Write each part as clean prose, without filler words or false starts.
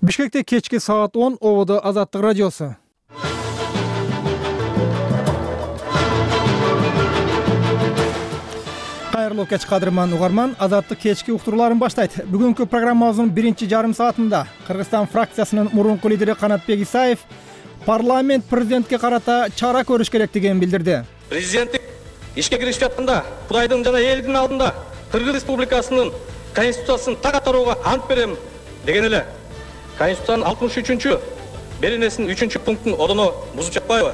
Бишкекте кечки саат 10 ободо Азаттык радиосу. Кайрылуу кеч кадырман угарман, Азаттык кечки уктурууларын баштайт. Бүгүнкү программабыздын биринчи жарым саатында Кыргызстан фракциясынын мурунку лидери Канатбек Исаев парламент президентке карата чара көрүш керектигин билдирди. Президенттик ишке киришип жатканда Кудайдын жана элдин алдында Кыргыз Республикасынын конституциясын так аткарууга ант берем деген эле. Конституциянын 63-чү беренесинин 3-чү пунктун одоно бузуп жатпайбы?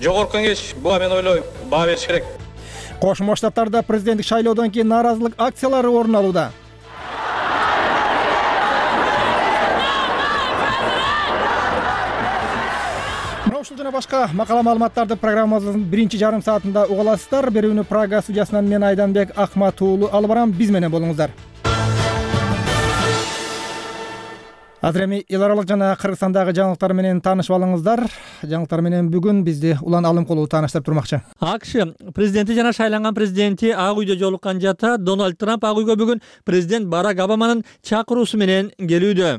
Жогорку кеңеш буга мен ойлойм баа бериш керек. Кошмо Штаттарда президенттик шайлоодон кийин нааразылык акциялары орун алууда. Ушул жана башка макала маалыматтарды программабыздын биринчи жарым саатында уга аласыздар. Берүүнү Прага студиясынан мен Айданбек Акматуулу алып барам. Биз менен болуңуздар. Азыр эми эл аралык жана Кыргызстандагы жаңылыктар менен таанышып алыңыздар. Жаңылыктар менен бүгүн бизди Улан Алымкулов тааныштырып турмакчы. АКШ президенти жана шайланган президенти Ак үйдө жолуккан жата Дональд Трамп Ак үйгө бүгүн президент Барак Обаманын чакыруусу менен келүүдө.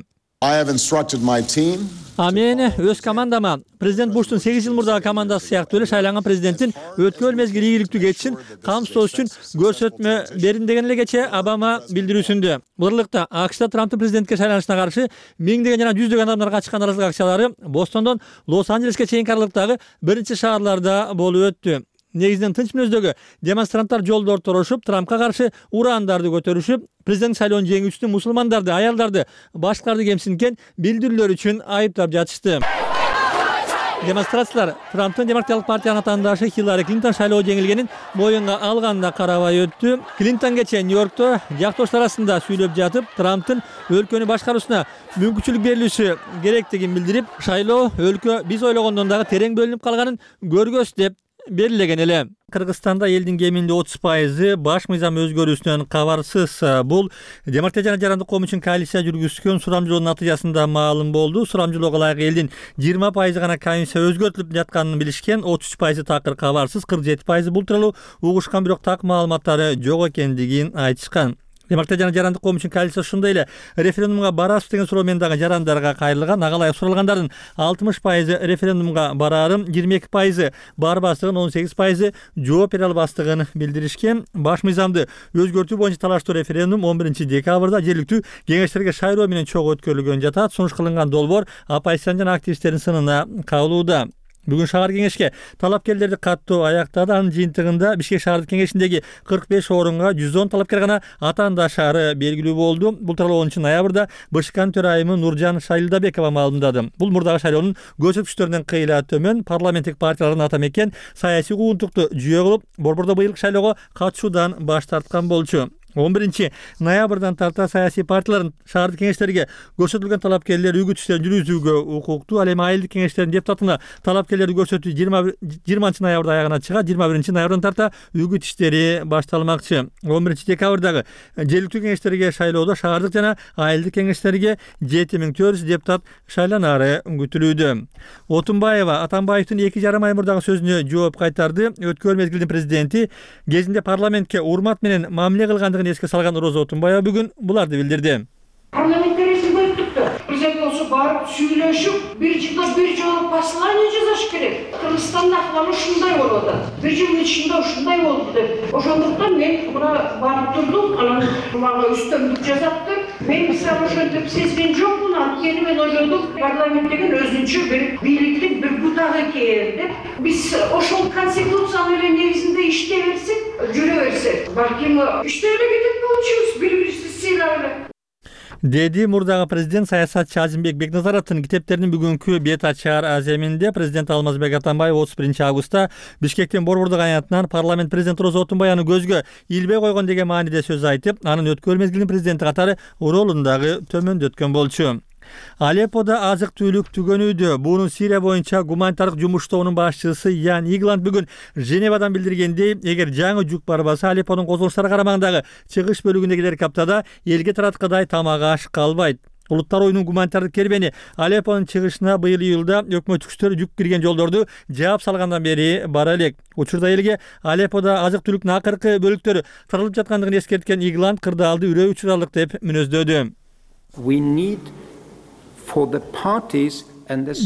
Мен өз командама президент Буштун 8 жыл мурдагы командасы сыяктуу эле шайланган президенттин өткөн мезгил ийгиликтүү кетишин камсыздоо үчүн көрсөтмө берин деген эле кечээ Обама билдирүүсүндө. Бул аралыкта АКШда Трамптын президентке шайланышына каршы миңдеген жана жүздөгөн адамдар катышкан нааразылык акциялары Бостондон Лос-Анджелеске чейинки аралыктагы биринчи шаарларда болуп өттү. Негизинен тынч мүнөздөгү демонстранттар жолдо торошуп, Трампка каршы ураандарды көтөрүшүп, президент шайлоонун жеңүүчүсүн мусулмандарды, аялдарды, башкаларды кемсинткен билдирүүлөр үчүн айыптап жатышты. Демонстрациялар Трамптын Демократиялык партиянын атаандашы Хиллари Клинтон шайлоо жеңилгенин моюнга алганына карабай өттү. Клинтон кечээ Нью-Йоркто жактоштор арасында сүйлөп жатып, Трамптын өлкөнү башкаруусуна мүмкүнчүлүк берилиши керектигин билдирип, шайлоо өлкө биз ойлогондон дагы терең бөлүнүп калганын көргөз деп берилген эле. Кыргызстанда элдин кеминде 30% баш мыйзам өзгөрүүсүнөн кабарсыз. Бул Демократия жана Жарандык коом үчүн коалиция жүргүзгөн сурамжылоонун натыйжасында маалым болду. Сурамжылоого ылайык элдин 20% гана комиссия өзгөртүлүп жатканын билишкен, 33% такыр кабарсыз, 47% бул тууралуу угушкан, бирок так маалыматтары жок экендигин айтышкан. Демократия жана Жарандык коом үчүн коалиция ушундай эле референдумга барасыз деген суроо менен дагы жарандарга кайрылган. Ага ылайык суралгандардын 60% референдумга бараарын, 22% барбастыгын, 18% жооп бере албастыгын билдиришкен. Баш мыйзамды өзгөртүү боюнча талаштуу референдум 11 декабрда жергиликтүү кеңештерге шайлоо менен чогуу өткөрүлгөн жатат. Сунуш кылынган долбоор оппозициянын жана активисттердин сынына кабылууда. Бүгүн шаар кеңешке талапкерлерди каттоо аяктады. Анын жыйынтыгында Бишкек шаардык кеңешиндеги 45 орунга 110 талапкер гана атаандашары белгилүү болду. Бул тууралуу 10 ноябрда БШКнын төрайымы Нуржан Шайлдабекова маалымдады. Бул мурдагы шайлоонун көрсөткүчтөрүнөн кыйла төмөн. Парламенттик партиялардын ата мекен саясий куугунтукту жүйө кылып, борбордо быйылкы шайлоого катышуудан баш тарткан болчу. 11 ноябрдан тарта саясий партиялардын шаардык кеңештерге көрсөтүлгөн талапкерлер үгүт иштерин жүргүзүүгө укуктуу. Ал эми айылдык кеңештердин депутатына талапкерлерди көрсөтүү 20 ноябрда аягына чыгат. 21 ноябрдан тарта үгүт иштери башталмакчы. 11 декабрдагы жергиликтүү кеңештерге шайлоодо шаардык жана айылдык кеңештерге 7400 депутат шайланары күтүлүүдө. Отунбаева Атамбаевдин 2,5 ай мурдагы сөзүнө жооп кайтарды. Өткөн мезгилдин президенти кезинде парламентке урмат менен мамиле кылгандыгын эске салган Роза Отунбаева бүгүн буларды билдирди. Парламентте резин өттүктү. Президент болсо барып сүйлөшүп, бир жылда бир жолу послание жазыш керек. Кыргызстанда ахвал ушундай болуп атат. Бир жылдын ичинде ушундай болду деп. Ошондуктан мен мына барып турдум, анан мага үстөмдүк жазаптыр. Мен мисалы ошентип сезген жокмун, анткени мен ойлодум, парламент деген өзүнчө бир бийликтин бир бутагы экен деп. Биз ошол конституциянын эле негизинде иштей берсек, жүрө берсек, балким иштей эле кетет болчубуз, бири-бирибизди сыйлап эле. Деди мурдагы президент саясатчы Азимбек Бекназаровдун китептеринин бүгүнкү бет ачар аземинде. Президент Алмазбек Атамбаев 31 августта Бишкектин Борбордук аянтынан парламент президенти Роза Отунбаеваны көзгө илбей койгон деген мааниде сөз айтып, анын өткөн мезгилдин президенти катары ролун дагы төмөндөткөн болчу. Алепподо азык-түлүк түгөнүүдө. Буну Сирия боюнча гуманитардык жумуштоонун башчысы Ян Игланд бүгүн Женевадан билдиргендей, эгер жаңы жүк барбаса, Алепподун козголуштары карамагындагы чыгыш бөлүгүндөгү каптада элге тараткадай тамак аш калбайт. Улуттар оюнун гуманитардык кербени Алеппонун чыгышына быйыл июлда өкмөт күчтөрү жүк кирген жолдорду жаап салгандан бери бара элек. Учурда элге Алепподо азык-түлүктүн акыркы бөлүктөрү таралып жаткандыгын эскерткен Игланд кырдаалды үрөө учуралык деп мүнөздөдү. for the parties.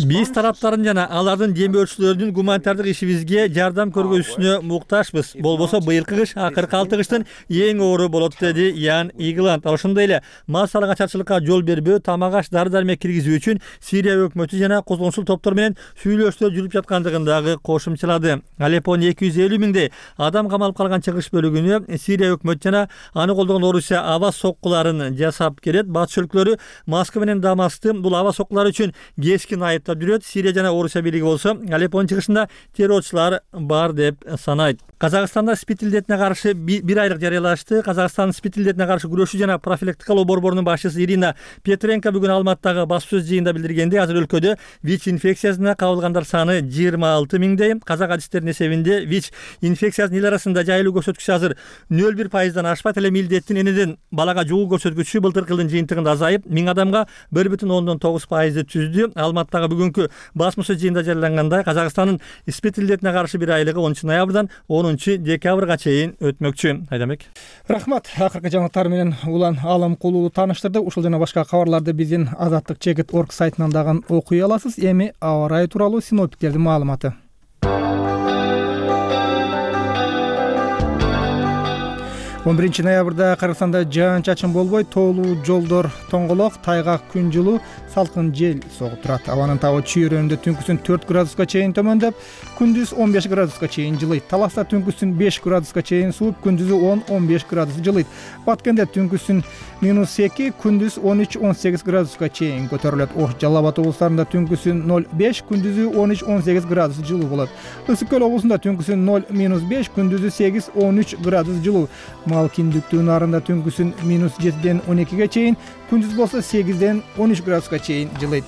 Биз тараптардын жана алардын демөөрчүлөрүнүн гуманитардык ишибизге жардам көргөзүшүнө муктажбыз. Болбосо быйылкы кыш акыркы 6 кыштын эң оору болот, деди Ян Игланд. Ошондой эле массалык ачарчылыкка жол бербөө, тамак-аш, дары-дармек киргизүү үчүн Сирия өкмөтү жана козгончул топтор менен сүйлөшүүлөр жүрүп жаткандыгын дагы кошумчалады. Алеппонун 250 миңдей адам камалып калган чыгыш бөлүгүнө Сирия өкмөтү жана аны колдогон Орусия аба соккуларын жасап келет. Батыш өлкөлөрү Москва менен Дамасты бул аба соккулар үчүн айыптап жүрөт. Сирия жана Орусия бийлиги болсо Алеппонун чыгышында террорчулар бар деп санайт. Казакстанда спид илдетине каршы бир айлык жарыялашты. Казакстандын спид илдетине каршы күрөшүү жана профилактикалоо борборунун башчысы Ирина Петренко бүгүн Алматыдагы баспасөз жыйынында билдиргенде, азыр өлкөдө ВИЧ инфекциясына кабылгандар саны 26 миңдей. Казак адистеринин эсебинде ВИЧ инфекциясынын эл арасында жайылуу көрсөткүчү азыр 0,1% ашпайт. Эле илдеттин энеден балага жугуу көрсөткүчү былтыркы жылдын жыйынтыгында азайып 1000 адамга 1,9% түздү. Алматыдагы бүгүнкү баспасөз жыйынында жарыялангандай, Казакстандын спид илдетине каршы бир айлыгы 10 ноябрдан 10 декабрга чейин өтмөкчү. Айдамек. Рахмат. Акыркы жаңылыктар менен Улан Алымкулуу тааныштырды. Ушул жана башка кабарларды биздин azatlyk.org сайтынан дагы окуй аласыз. Эми аба ырайы тууралуу синоптиктердин маалыматы. 11 ноябрда Кыргызстанда жаан-чачын болбой, тоолуу жолдор тоңголок, тайгак, күн жылуу, салкын жел согуп турат. Абанын табы чүйрөндө түнкүсүн 4 градуска чейин төмөндөп, күндүз 15 градуска чейин жылыйт. Таласта түнкүсүн 5 градуска чейин сууп, күндүзү 10-15 градус жылыйт. Баткенде түнкүсүн -2, күндүз 13-18 градуска чейин көтөрүлөт. Ош, Жалал Абад облустарында түнкүсүн 0-5, күндүзү 13-18 градус жылуу болот. Ысык көл облусунда түнкүсүн 0-5, күндүзү 8-13 градус жылуу. Мал киндиктүү нарында түнкүсүн -7ден 12ге чейин, күндүз болсо 8ден 13 градуска чейин жылыйт.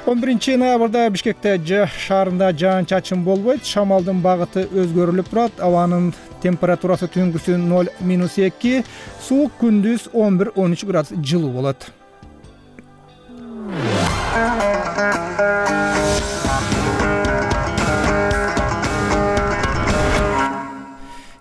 11 ноябрда Бишкекте шаарында жаан-чачын болбойт, шамалдын багыты өзгөрүлүп турат. Абанын температурасы түнкүсүн 0-2, суук, күндүз 11-13 градус жылуу болот.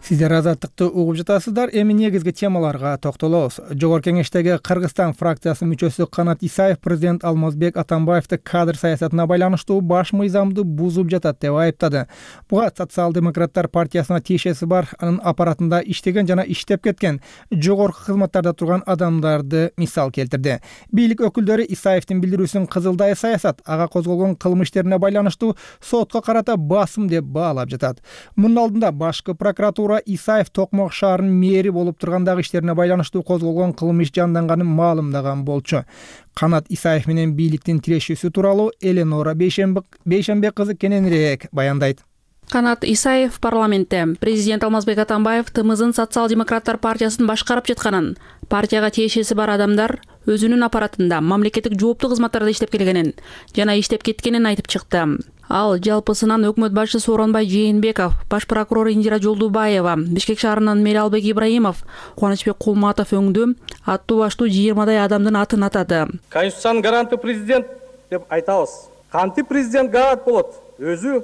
Сиздер азаттыкты угуп жатасыздар. Эми негизги темаларга токтолобуз. Жогорку кеңештеги Кыргызстан фракциясынын мүчөсү Канат Исаев президент Алмазбек Атамбаевди кадр саясатына байланыштуу баш мыйзамды бузуп жатат деп айыптады. Буга Социал-демократтар партиясына тиешеси бар, анын аппаратында иштеген жана иштеп кеткен жогорку кызматтарда турган адамдарды мисал келтирди. Бийлик өкүлдөрү Исаевдин билдирүүсүн кызылдай саясат, ага козголгон кылмыш иштерине байланыштуу сотко карата басым деп баалап жатат. Мунун алдында башкы прокуратура Исаев Токмок шаарынын мэри болуп тургандагы иштерине байланыштуу козголгон кылмыш жанданганын маалымдаган болчу. Канат Исаев менен бийликтин тирешүүсү тууралуу Эленора Бейшембек кызы кененирээк баяндайт. Канат Исаев парламентте президент Алмазбек Атамбаев ТМЗын Социал-демократтар партиясын башкарып жатканын, партияга тиешеси бар адамдар өзүнүн аппаратында мамлекеттик жооптуу кызматтарда иштеп келгенин жана иштеп кеткенин айтып чыкты. Ал жалпысынан өкмөт башчысы Сооронбай Жээнбеков, баш прокурор Индира Жолдубаева, Бишкек шаарынан Мералбек Ибраимов, Кубанычбек Кулматов өңдүү аттуу баштуу 20дай адамдын атын атады. Конституциянын гаранты президент деп айтабыз. Кантип президент гарант болот? Өзү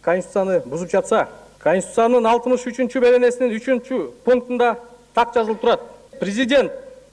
Конституцияны бузуп жатса, Конституциянын 63-чү беренесинин 3-чү пунктунда так жазылып турат. Президент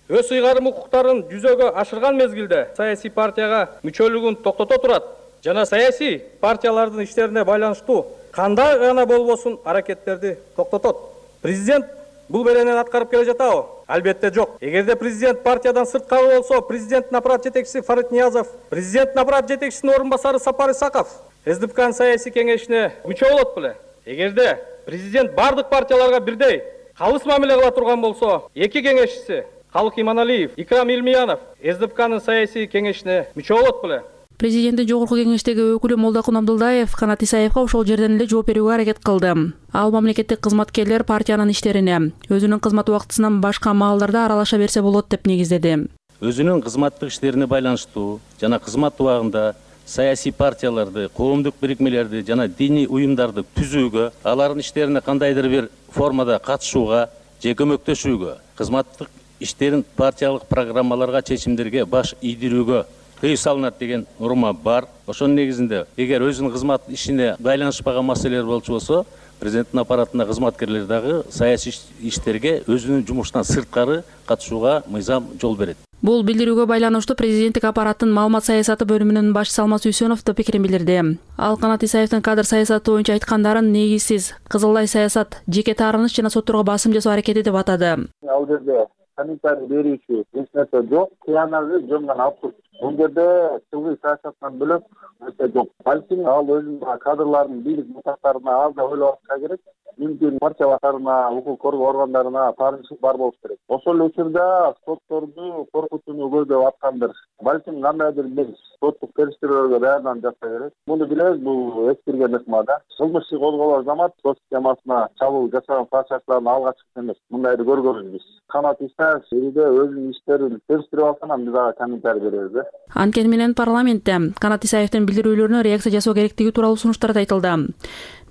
өз ыйгарым укуктарын жүзөгө ашырган мезгилде саясий партияга мүчөлүгүн токтото турат жана саясий партиялардын иштерине байланыштуу кандай гана болбосун аракеттерди токтотот. Президент бул беренени аткарып келе жатабы? Албетте жок. Эгерде президент партиядан сырткары болсо, президенттин аппарат жетекчиси Фарид Ниязов, президенттин аппарат жетекчисинин орун басары Сапар Исаков СДПКнын саясий кеңешине мүчө болот беле? Эгерде президент бардык партияларга бирдей калыс мамиле кыла турган болсо, эки кеңешчиси Калык Иманалиев, Икрам Илмиянов СДПКнын саясий кеңешине мүчө болот беле? Президенттин жогорку кеңештеги өкүлү Молдокун Абдулдаев Канат Исаевга ошол жерден эле жооп берүүгө аракет кылды. Ал мамлекеттик кызматкерлер партиянын иштерине өзүнүн кызмат убактысынан башка маалдарда аралаша берсе болот деп негиздеди. Өзүнүн кызматтык иштерине байланыштуу жана кызмат убагында саясий партияларды, коомдук бирикмелерди жана диний уюмдарды түзүүгө, алардын иштерине кандайдыр бир формада катышууга же көмөктөшүүгө, кызматтык иштерин партиялык программаларга, чечимдерге баш ийдирүүгө тыюу салынат деген норма бар. Ошонун негизинде эгер өзүнүн кызмат ишине байланышпаган маселелер болчу болсо, президенттин аппаратына кызматкерлер дагы саясий иштерге өзүнүн жумушунан сырткары катышууга мыйзам жол берет. Бул билдирүүгө байланыштуу президенттик аппараттын маалымат саясаты бөлүмүнүн башчысы Алмаз Үсөнов да пикирин билдирди. Ал Канат Исаевдин кадр саясаты боюнча айткандарын негизсиз, кызылдай саясат, жеке таарыныч жана сотторго басым жасоо аракети деп атады. Ал жерде комментарий берүүчү эч нерсе жок, кыянагы жөнгөн абсурд. Бул жерде тылгый саясаттан бөлөк нерсе жок. Балким ал өзүнүн кадрларын бийлик мутактарына аз да ойлонушка керек. Мүмкүн партия башкарына, укук коргоо органдарына таарынчылык бар болуш керек. Ошол эле учурда сотторду коркутууну көздөп аткандыр. Балким кандайдыр бир соттук териштирүүлөргө даярданып жатса керек. Муну билебиз, бул эскирген ыкма да. Кылмыш иши козголор замат сот системасына чабуул жасаган фашистлердин алгачкысы эмес. Мындайды көргөнбүз биз. Канат Исаев элде өзүнүн иштерин териштирип алса, анан биз ага комментарий беребиз да. Анткени менен парламентте Канат Исаевдин билдирүүлөрүнө реакция жасоо керектиги тууралуу сунуштар да айтылды.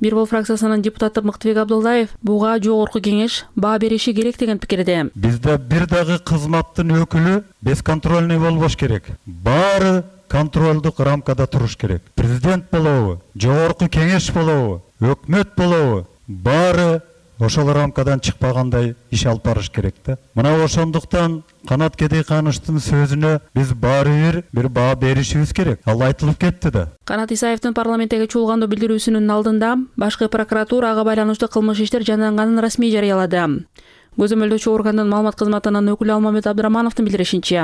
Бир бол фракциясынын депутаты Мыктыбек Абдуллаев буга жогорку кеңеш баа бериши керек деген пикирде. Бизде бир дагы кызматтын өкүлү бесконтрольный болбош керек. Баары контролдук рамкада туруш керек. Президент болобу, жогорку кеңеш болобу, өкмөт болобу, баары ошол рамкадан чыкпагандай иш алып барыш керек да. Мына ошондуктан Канат Кедейкановичтин сөзүнө биз баары бир баа беришибиз керек. Ал айтылып кетти да. Канат Исаевдин парламентке чуулгандуу билдирүүсүнүн алдында башкы прокуратура ага байланыштуу кылмыш иштер жанданганын расмий жарыялады. Көзөмөлдөөчү органдын маалымат кызматынын өкүлү Алмамет Абдырамановдун билдиришинче,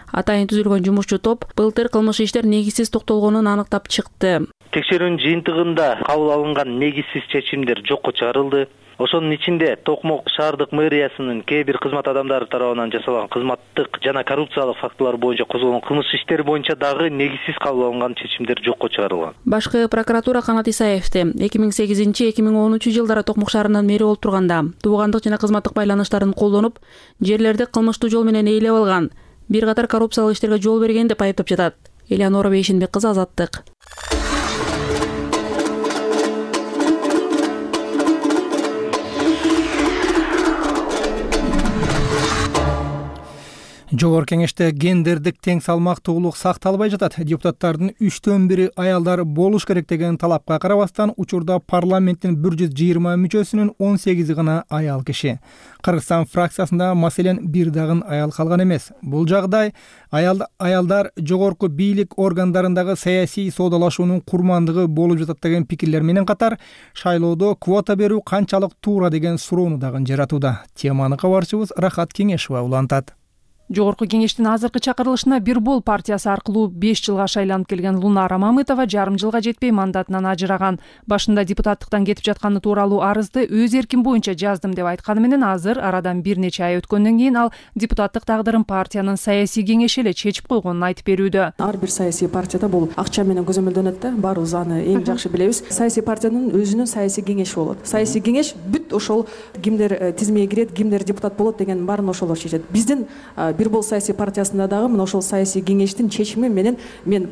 атайын түзүлгөн жумушчу топ былтыр кылмыш иштер негизсиз токтолгонун аныктап чыкты. Текшерүүнүн жыйынтыгында кабыл алынган негизсиз чечимдер жокко чыгарылды. Ошонун ичинде Токмок шаардык мэриясынын кээ бир кызмат адамдары тарабынан жасалган кызматтык жана коррупциялык фактылар боюнча козголгон кылмыш иштери боюнча дагы негизсиз кабыл алынган чечимдер жокко чыгарылган. Башкы прокуратура Канат Исаевди 2008-2010 жылдары Токмок шаарынын мэри болуп турганда туугандык жана кызматтык байланыштарын колдонуп, жерлерди кылмыштуу жол менен ээлеп алган, бир катар коррупциялык иштерге жол берген деп айыптап жатат. Элеонора Бейшенбек кызы, Азаттык. Жогорку кеңеште гендердик тең салмактуулук сакталбай жатат. Депутаттардын 3/4 аялдар болуш керек деген талапка карабастан, учурда парламенттин 120 мүчөсүнүн 18 гана аял киши. Кыргызстан фракциясында маселен бир дагы аял калган эмес. Бул жагдай аялдар жогорку бийлик органдарындагы саясий соодалашуунун курмандыгы болуп жатат деген пикирлер менен катар, шайлоодо квота берүү канчалык туура деген суроону дагы жаратууда. Теманы кабарчыбыз Рахат Кеңешова улантат. Жогорку кеңештин азыркы чакырылышына Бир бол партиясы аркылуу 5 жылга шайланып келген Лунара Мамытова жарым жылга жетпей мандатынан ажыраган. Башында депутаттыктан кетип жатканы тууралуу арызды өз эрким боюнча жаздым деп айтканы менен азыр арадан бир нече ай өткөндөн кийин ал депутаттык тагдырын партиянын саясий кеңеши эле чечип койгонун айтып берүүдө. Ар бир саясий партияда бул акча менен көзөмөлдөнөт да, баарыбыз аны эң жакшы билебиз. Саясий партиянын өзүнүн саясий кеңеши болот. Саясий кеңеш бүт ошол кимдер тизмеге кирет, кимдер депутат болот деген баарын ошолор чечет. Биздин Бир бол саясий партиясында дагы мына ошол саясий кеңештин чечими менен мен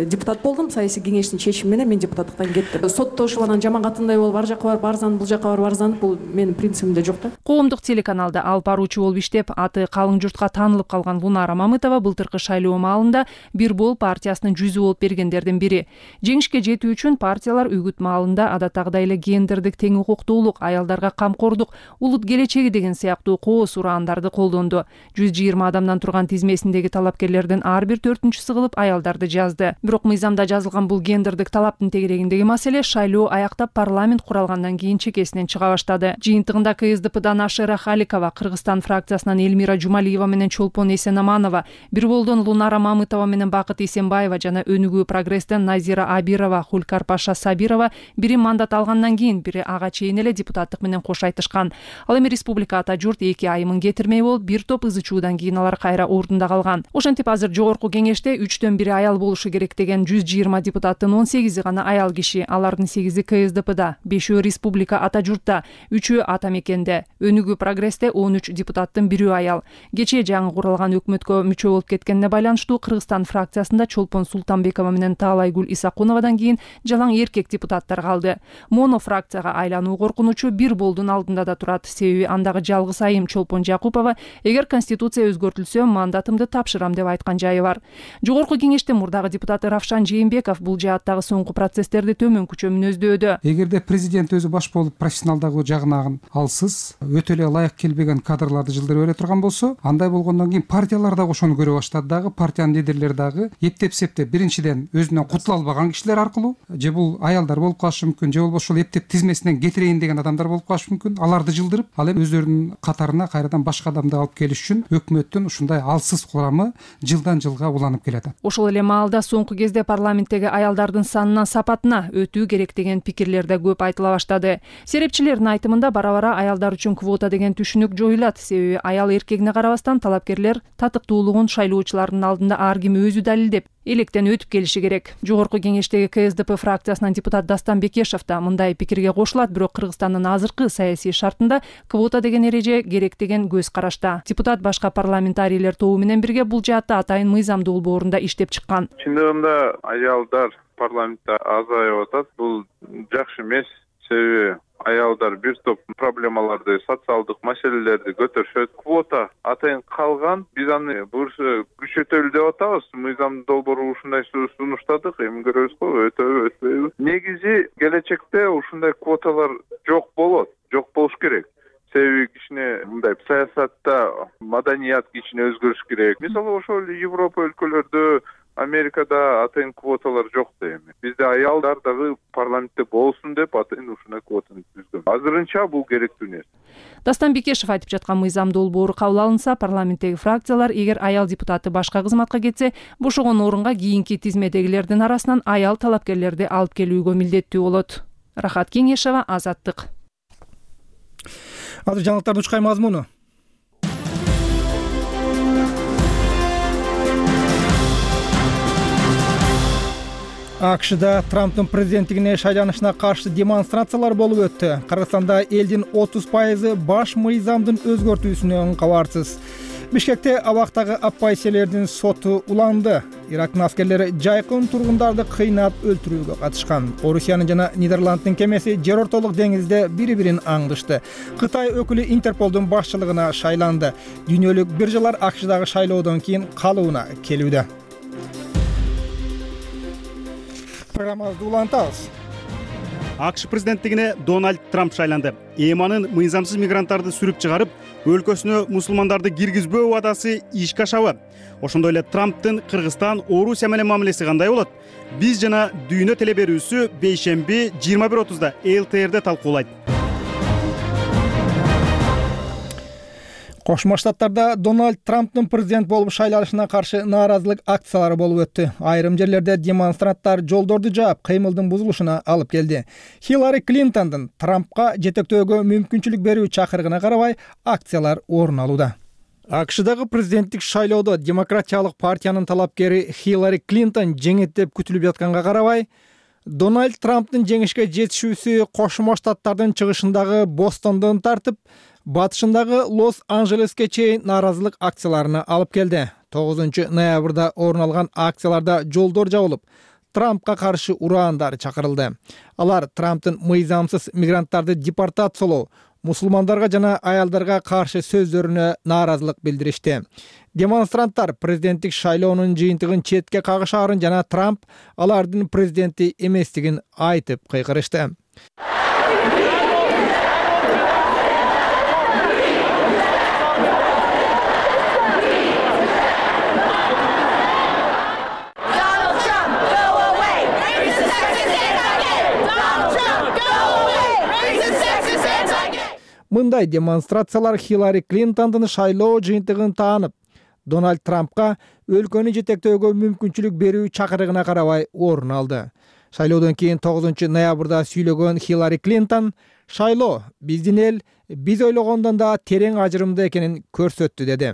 депутат болдум, саясий кеңештин чечими менен мен депутаттыктан кеттим. Сотто ушул анан жаман-катындай болуп ар жакка барып арзанып, бул жакка барып арзанып, бул менин принцибимде жок да. Коомдук телеканалда алып баруучу болуп иштеп, аты калың журтка таанылып калган Лунара Мамытова былтыркы шайлоо маалында Бир бол партиясынын жүзү болуп бергендердин бири. Жеңишке жетүү үчүн партиялар үгүт маалында адаттагыдай эле гендердик тең укуктуулук, аялдарга камкордук, улут келечеги деген сыяктуу кооз ураандарды колдонду. 120 адамдан турган тизмесиндеги талапкерлердин ар бир 4-чүсү кылып аялдарды жазды. Бирок мыйзамда жазылган бул гендердик талаптын тегерегиндеги маселе шайлоо аяктап парламент куралгандан кийин чекесинен чыга баштады. Жыйынтыгында КСДПдан Ашера Халикова, Кыргызстан фракциясынан Элмира Жумалиева менен Чолпон Эсенаманова, Бир болдон Лунара Мамытова менен Бакыт Эсенбаева жана Өнүгүү прогресстен Назира Абирова, Хулкар Паша Сабирова бири мандат алгандан кийин бири ага чейин эле депутаттык менен кош айтышкан. Ал эми республика ата журт 2 айымын кетирмей болуп, бир топ ызы чуудан кийин алар кайра ордунда калган. Ошентип азыр жогорку кеңеште 3/4 аял болушу керек деген 120 депутаттын 18 гана аял киши, алардын 8-и КСДПда, 5-өө республика ата журтта, 3-өө ата мекенде. Өнүгүү прогрессте 13 депутаттын 1-өө аял. Кечээ жаңы куралган өкмөткө мүчө болуп кеткенине байланыштуу Кыргызстан фракциясында Чолпон Султанбекова менен Таалайгүл Исакуновадан кийин жалаң эркек депутаттар калды. Моно фракцияга айлануу коркунучу Бир болдун алдында да турат. Себеби андагы жалгыз айым Чолпон Жакупова эгер конституция өзгөртүлсө мандатымды тапшырам деп айткан жайы бар. Жогорку кеңештин мурдагы депутаты Равшан Жээнбеков бул жааттагы соңку процесстерди төмөнкүчө мүнөздөөдө. Эгерде президент өзү баш болуп профессионалдагы жагынан алсыз, өтө эле ылайык келбеген кадрларды жылдырып бере турган болсо, андай болгондон кийин партиялар дагы ошону көрө баштады дагы, партиянын лидерлери дагы эптеп-септеп биринчиден өзүнөн кутула албаган кишилер аркылуу, же бул аялдар болуп калышы мүмкүн, же болбосо эптеп тизмесинен кетирейин деген адамдар болуп калышы мүмкүн. Аларды жылдырып, ал эми өздөрүнүн катарына кайрадан башка адамды алып келиш үчүн өкмөттүн ушундай алсыз курамы жылдан жылга уланып келатат. Ошол эле маалда соңку кезде парламенттеги аялдардын санынан сапатына өтүү керек деген пикирлер да көп айтыла баштады. Серепчилердин айтымында бара-бара аялдар үчүн квота деген түшүнүк жоюлат. Себеби аял эркегине карабастан талапкерлер татыктуулугун шайлоочулардын алдында ар ким өзү далилдеп электен өтүп келиши керек. Жогорку кеңештеги КСДП фракциясынан депутат Дастан Бекешев да мындай пикирге кошулат, бирок Кыргызстандын азыркы саясий шартында квота деген эреже керек деген көз карашта. Депутат башка парламентарийлер тобу менен бирге бул жаатта атайын мыйзамдуу борунда иштеп чыккан. Чындыгында аялдар парламентте азайып атат. Бул жакшы эмес. Себеби аялдар бир топ проблемаларды, социалдык маселелерди көтөрүшөт. Квота атайын калган. Биз аны буюрса күчөтөлү деп атабыз. Мыйзамдын долбоору ушундай сунуштадык. Эми көрөбүз го, өтөбү. Негизи келечекте ушундай квоталар жок болот. Жок болуш керек. Себеби кичине мындай саясатта маданият кичине өзгөрүш керек. Мисалы ошол Европа өлкөлөрдө, Америкада атайын квоталар жок да эми. Бизде аялдар дагы парламентте болсун деп атайын ушундай квотаны түзгөн. Азырынча бул керектүү нерсе. Дастан Бекешев айтып жаткан мыйзам долбоору кабыл алынса, парламенттеги фракциялар эгер аял депутаты башка кызматка кетсе, бошогон орунга кийинки тизмедегилердин арасынан аял талапкерлерди алып келүүгө милдеттүү болот. Рахат Кеңешева, Азаттык. Азыр жаңылыктардын учкай мазмуну. АКШда Трамптын президенттигине шайланышына каршы демонстрациялар болуп өттү. Кыргызстанда элдин 30% баш мыйзамдын өзгөртүүсүнөн кабарсыз. Бишкекте абактагы оппозициялердин соту уланды. Ирактын аскерлери жайкын тургундарды кыйнап өлтүрүүгө катышкан. Орусиянын жана Нидерланддын кемеси жер ортолук деңизде бири-бирин аңдышты. Кытай өкүлү Интерполдун башчылыгына шайланды. Дүйнөлүк биржалар АКШдагы шайлоодон кийин калыбына келүүдө. Программабызды улантабыз. АКШ президенттигине Дональд Трамп шайланды. ЭМАнын мыйзамсыз мигранттарды сүрүп чыгарып, өлкөсүнө мусулмандарды киргизбөө убадасы ишке ашабы. Ошондой эле Трамптын Кыргызстан, Орусия менен мамилеси кандай болот? Биз жана Дүйнө теле берүүсү бейшемби 21:30 ЛТРде талкуулайт. Кошмо Штаттарда Дональд Трамптын президент болуп шайланышына каршы нааразылык акциялары болуп өттү. Айрым жерлерде демонстранттар жолдорду жаап, кыймылдын бузулушуна алып келди. Хиллари Клинтондун Трампка жетектөөгө мүмкүнчүлүк берүү чакырыгына карабай акциялар орун алууда. АКШдагы президенттик шайлоодо Демократиялык партиянын талапкери Хиллари Клинтон жеңет деп күтүлүп жатканга карабай, Дональд Трамптын жеңишке жетишүүсү Кошмо Штаттардын чыгышындагы Бостондон тартып, батышындагы Лос-Анжелеске чейин нааразылык акцияларына алып келди. 9 ноябрда орун алган акцияларда жолдор жабылып, Трампка каршы ураандар чакырылды. Алар Трамптын мыйзамсыз мигранттарды депортациялоо, мусулмандарга жана аялдарга каршы сөздөрүнө нааразылык билдиришти. Демонстранттар президенттик шайлоонун жыйынтыгын четке кагышаарын жана Трамп алардын президенти эместигин айтып кыйкырышты. Мындай демонстрациялар Хиллари Клинтондун шайлоо жыйынтыгын таанып, Дональд Трампка өлкөнү жетектөөгө мүмкүнчүлүк берүү чакырыгына карабай орун алды. Шайлоодон кийин 9 ноябрда сүйлөгөн Хиллари Клинтон шайлоо биздин эл биз ойлогондон да терең ажырымды экенин көрсөттү деди.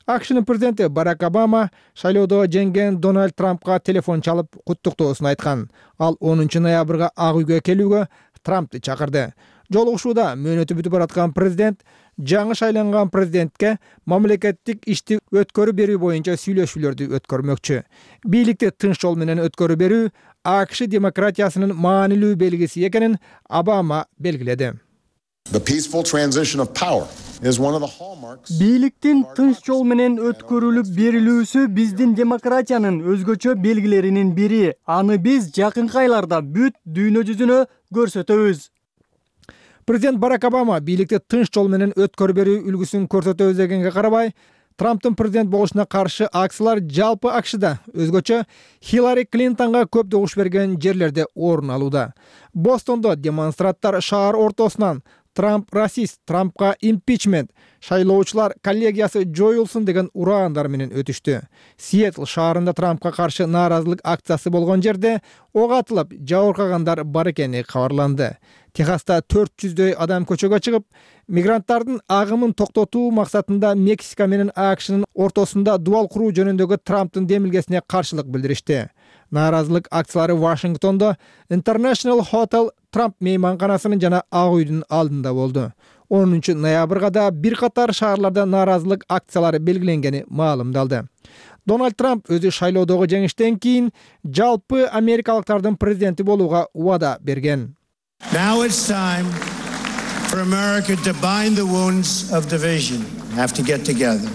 АКШнын президенти Барак Обама шайлоодо жеңген Дональд Трампка телефон чалып куттуктоосун айткан. Ал 10 ноябрга Ак үйгө келүүгө Трампты чакырды. Жолугушууда мөөнөтү бүтүп бараткан президент жаңы шайланган президентке мамлекеттик ишти өткөрүп берүү боюнча сүйлөшүүлөрдү өткөрмөкчү. Бийликти тынч жол менен өткөрүп берүү АКШ демократиясынын маанилүү белгиси экенин Обама белгиледи. Бийликтин тынч жол менен өткөрүлүп берилүүсү биздин демократиянын өзгөчө белгилеринин бири. Аны биз жакынкы айларда бүт дүйнө жүзүнө көрсөтөбүз. Президент Барак Обама бийликти тынч жол менен өткөрүп берүү үлгүсүн көрсөтөбүз дегенге карабай, Трамптын президент болушуна каршы акциялар жалпы АКШда, өзгөчө Хиллари Клинтонго көп добуш берген жерлерде орун алууда. Бостондо демонстранттар шаар ортосунан Трамп расист, Трампка импичмент, шайлоочулар коллегиясы жоюлсун деген ураандар менен өтүштү. Сиэтл шаарында Трампка каршы нааразылык акциясы болгон жерде ок атылып, жабыркагандар бар экени кабарланды. Техаста 400дөй адам көчөгө чыгып, мигранттардын агымын токтотуу максатында Мексика менен АКШнын ортосунда дубал куруу жөнүндөгү Трамптын демилгесине каршылык билдиришти. Нааразылык акциялары Вашингтондо International Hotel Трамп мейманканасынын жана Ак үйдүн алдында болду. 10 ноябрга да бир катар шаарларда нааразылык акциялары белгиленгени маалымдалды. Дональд Трамп өзү шайлоодогу жеңиштен кийин жалпы америкалыктардын президенти болууга убада берген. Now it's time for America to bind the wounds of division. Have to get together.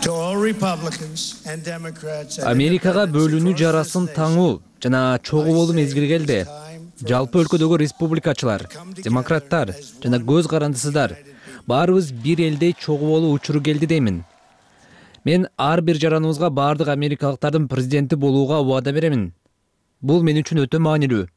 To all Republicans and Democrats. Америкага бөлүнүү жарасын таңуу жана чогуу болуу мезгили келди. Жалпы өлкөдөгү республикачылар, демократтар жана көз карандысыздар баарыбыз бир элдей чогуу болуу учуру келди деймин. Мен ар бир жараныбызга баардык америкалыктардын президенти болууга убада беремин. Бул мен үчүн өтө маанилүү.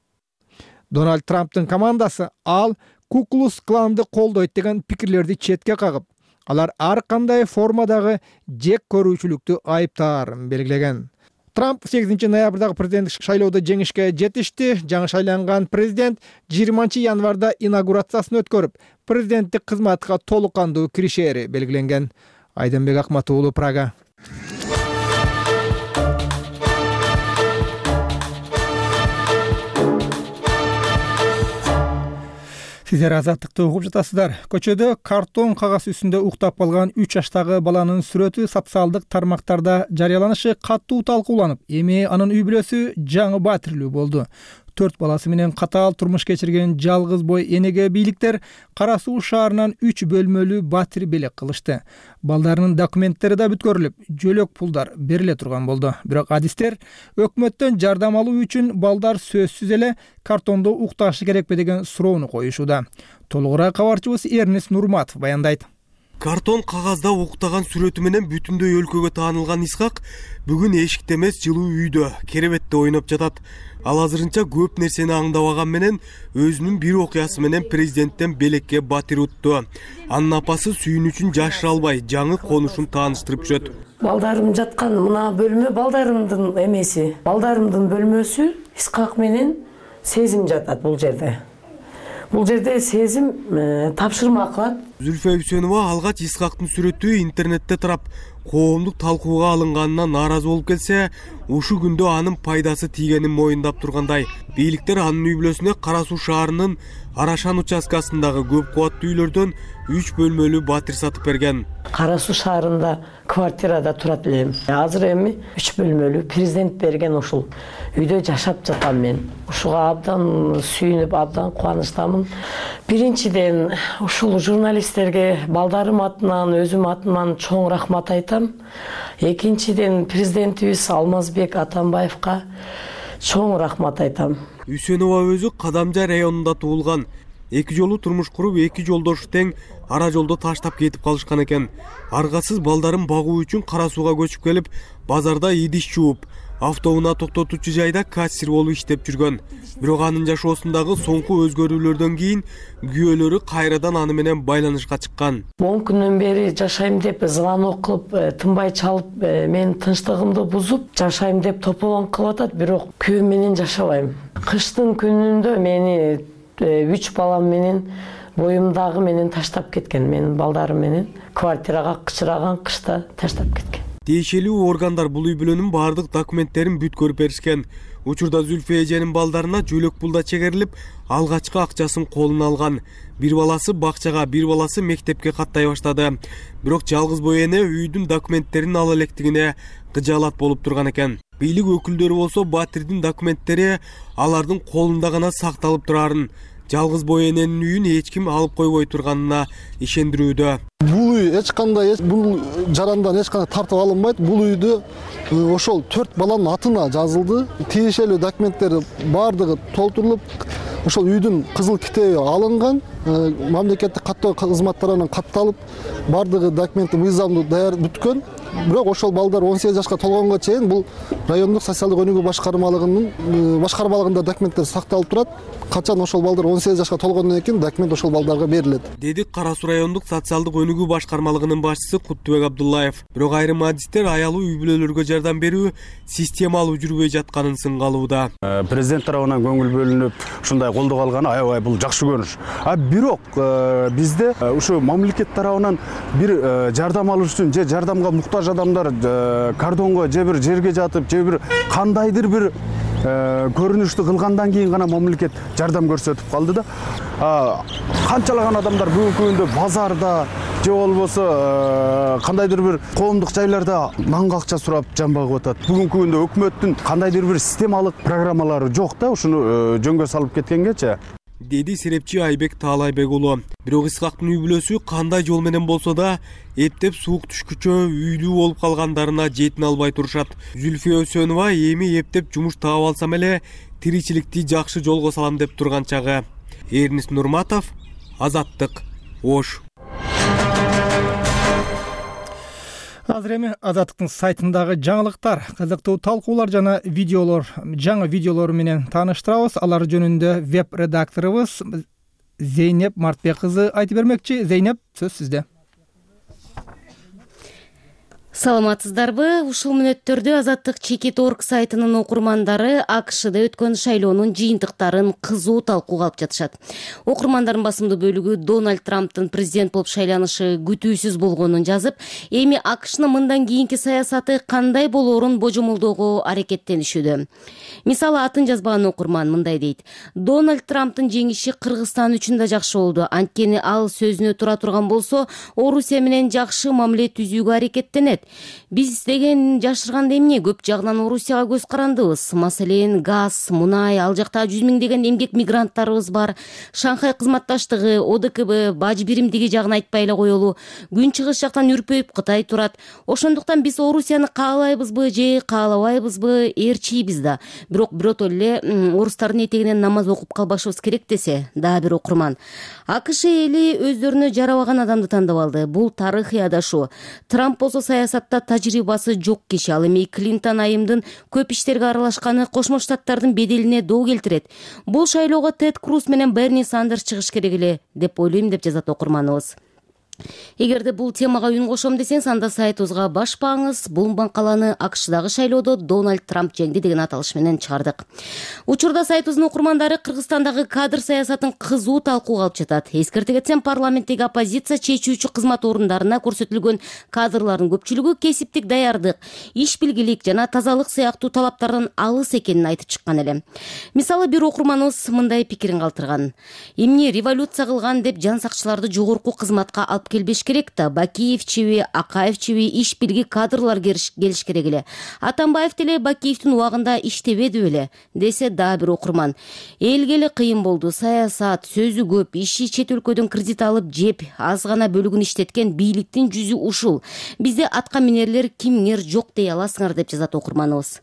Дональд Трамптын командасы ал Куклус кланды колдойт деген пикирлерди четке кагып, алар ар кандай формадагы жек көрүүчүлүктү айыптаарын белгилеген. Трамп 8 ноябрдагы президенттик шайлоодо жеңишке жетишти. Жаңы шайланган президент 20 январда инаугурациясын өткөрүп, президенттик кызматка толук кандуу киришери белгиленген. Айденбек Акмат уулу, Прага. Сиздер азаттыкты угуп жатасыздар. Көчөдө картон кагаз үстүндө уктап калган 3 жаштагы баланын сүрөтү социалдык тармактарда жарыяланышы катуу талкууланып, эми анын үй бүлөсү жаңы батирлүү болду. 4 баласы менен катаал турмуш кечирген жалгыз бой энеге бийликтер Кара Суу шаарынан 3 бөлмөлүү батир белек кылышты. Балдарынын документтери да бүткөрүлүп, жөлөк пулдар бериле турган болду. Бирок адистер өкмөттөн жардам алуу үчүн балдар сөзсүз эле картондо укташы керекпи деген суроону коюшууда. Толугураак кабарчыбыз Эрнест Нурматов баяндайт. Картон кагазда уктаган сүрөтү менен бүтүндөй өлкөгө таанылган Исхак бүгүн эшикте эмес, жылуу үйдө, керебетте ойноп жатат. Ал азырынча көп нерсени аңдабаган менен өзүнүн бир окуясы менен президенттен белекке батир утту. Анын апасы сүйүнүчүн жашыра албай жаңы конушун тааныштырып жүрөт. Балдарым жаткан мына бөлмө балдарымдын эмеси. Балдарымдын бөлмөсү Исхак менен Сезим жатат бул жерде. Бул жерде Сезим тапшырма кылат. Зүлфө Үсөнова алгач Исхактын сүрөтү интернетте тарап, коомдук талкууга алынганына нааразы болуп келсе, ушу күндө анын пайдасы тийгенин моюндап тургандай. Бийликтер анын үй бүлөсүнө Кара Суу шаарынын Арашан участкасындагы көп кубаттуу үйлөрдөн 3 бөлмөлүү батир сатып берген. Кара Суу шаарында квартирада турат элем. Азыр эми 3 бөлмөлүү президент берген ушул үйдө жашап жатам мен. Ушуга абдан сүйүнүп, абдан кубанычтамын. Биринчиден ушул журналисттерге балдарым атынан, өзүм атынан чоң рахмат айтам. Экинчиден президентибиз Алмазбек Атамбаевка чоң рахмат айтам. Үсөнова өзү Кадамжай районунда туулган. 2 жолу турмуш куруп, 2 жолдошу тең ара жолдо таштап кетип калышкан экен. Аргасыз балдарын багуу үчүн Кара Сууга көчүп келип, базарда идиш жууп, автоунаа токтотуучу жайда кассир болуп иштеп жүргөн. Бирок анын жашоосундагы соңку өзгөрүүлөрдөн кийин күйөөлөрү кайрадан аны менен байланышка чыккан. 10 күндөн бери жашайм деп звонок кылып, тынбай чалып, менин тынчтыгымды бузуп, жашайм деп тополоң кылып атат, бирок күйөөм менен жашабайм. Кыштын күнүндө мени 3 балам менен боюмдагы менен таштап кеткен, менин балдарым менен квартирага кычыраган кышта таштап кеткен. Тиешелүү органдар бул үй бүлөнүн баардык документтерин бүткөрүп беришкен. Учурда Зүлфө эженин балдарына жөлөк пулда чегерилип, алгачкы акчасын колуна алган. Бир баласы бакчага, бир баласы мектепке каттай баштады. Бирок жалгыз бой эне үйдүн документтерин ала электигине кыжаалат болуп турган экен. Бийлик өкүлдөрү болсо батирдин документтери алардын колунда гана сакталып турарын жалгыз бой эненин үйүн эч ким алып койбой турганына ишендирүүдө. Бул үй эч кандай бул жарандан эч кандай тартып алынбайт. Бул үйдө ошол 4 баланын атына жазылды. Тиешелүү документтер бардыгы толтурулуп, ошол үйдүн кызыл китеби алынган, мамлекеттик каттоо кызматтарынан катталып, бардыгы документи мыйзамдуу даяр бүткөн. Бирок ошол балдар 18 жашка толгонго чейин бул райондук социалдык өнүгүү башкармалыгында документтер сакталып турат. Качан ошол балдар 18 жашка толгондон кийин документ ошол балдарга берилет, деди Кара Суу райондук социалдык өнүгүү башкармалыгынын башчысы Куттубек Абдуллаев. Бирок айрым адистер аялуу үй бүлөлөргө жардам берүү системалуу жүрбөй жатканын сынгалууда. Президент тарабынан көңүл бөлүнүп, ушундай колдоо алганы аябай бул жакшы көрүнүш. Бирок бизде ушу мамлекет тарабынан бир жардам алыш үчүн же жардамга муктаж адамдар кордонго же бир жерге жатып, же бир кандайдыр бир көрүнүштү кылгандан кийин гана мамлекет жардам көрсөтүп калды да. Канчалаган адамдар бүгүнкү күндө базарда же болбосо кандайдыр бир коомдук жайларда нанга акча сурап жан багып атат. Бүгүнкү күндө өкмөттүн кандайдыр бир системалык программалары жок да, ушуну жөнгө салып кеткенгечи, деди серепчи Айбек Таалайбек уулу. Бирок Исхактын үй бүлөсү кандай жол менен болсо да эптеп суук түшкүчө үйлүү болуп калгандарына жетине албай турушат. Зүлфия Өсөнова эми эптеп жумуш таап алсам эле тиричиликти жакшы жолго салам деп турган чагы. Эрнис Нурматов, Азаттык, Ош. Азыр эми Азаттыктын сайтындагы жаңылыктар, кызыктуу талкуулар жана видеолор, жаңы видеолор менен тааныштырабыз. Алар жөнүндө веб-редакторубуз Зейнеп Мартбек кызы айтып бермекчи. Зейнеп, сөз сизде. Саламатсыздарбы? Ушул мүнөттөрдө Азаттык.org сайтынын окурмандары АКШда өткөн шайлоонун жыйынтыктарын кызуу талкууга алып жатышат. Окурмандардын басымдуу бөлүгү Дональд Трамптын президент болуп шайланышы күтүүсүз болгонун жазып, эми АКШнын мындан кийинки саясаты кандай болоорун божомолдоого аракеттенишүүдө. Мисалы, атын жазбаган окурман мындай дейт: Дональд Трамптын жеңиши Кыргызстан үчүн да жакшы болду. Анткени ал сөзүнө тура турган болсо, Орусия менен жакшы мамиле түзүүгө аракеттенет. Биз деген жашырганда эмне? Көп жагынан Орусияга көз карандыбыз. Маселен, газ, мунай, ал жакта 100 миңдеген эмгек мигранттарыбыз бар. Шанхай кызматташтыгы, ОДКБ, баж биримдиги жагын айтпай эле коелу. Күн чыгыш жактан үрпөйүп Кытай турат. Ошондуктан биз Орусияны каалайбызбы же каалабайбызбы ээрчийбиз да. Бирок биротоло эле орустардын этегинен намаз окуп калбашыбыз керек десе, дагы бир окурман. АКШ эли өздөрүнө жарабаган адамды тандап алды. Бул тарыхый адашуу. Трамп болсо саясатта тажрыйбасы жок киши. Ал эми Клинтон айымдын көп иштерге аралашканы Кошмо Штаттардын беделине доо келтирет. Бул шайлоого Тед Круз менен Берни Сандерс чыгыш керек эле деп ойлойм, деп жазат окурманыбыз. Эгерде бул темага үн кошом десеңиз, анда сайтыбызга башпаңыз. Бул макаланы АКШдагы шайлоодо Дональд Трамп жеңди деген аталыш менен чыгардык. Учурда сайтыбыздын окурмандары Кыргызстандагы кадр саясатын кызуу талкууга алып жатат. Эскерте кетсем, парламенттеги оппозиция чечүүчү кызмат орундарына көрсөтүлгөн кадрлардын көпчүлүгү кесиптик даярдык, иш билгилик жана тазалык сыяктуу талаптардан алыс экенин айтып чыккан эле. Мисалы, бир окурманыбыз мындай пикирин калтырган: эмне революция кылган деп жан сакчыларды жогорку кызматка алып келбеш керек да, Бакиевчиби, Акаевчиби иш билги кадрлар келиш керек эле. Атамбаев деле Бакиевдин убагында иштебеди беле, десе дагы бир окурман. Элге эле кыйын болду, саясат, сөзү көп, иши чет өлкөдөн кредит алып жеп, аз гана бөлүгүн иштеткен бийликтин жүзү ушул. Бизде атка минерлер кимңер жок дей аласыңар, деп жазат окурманыбыз.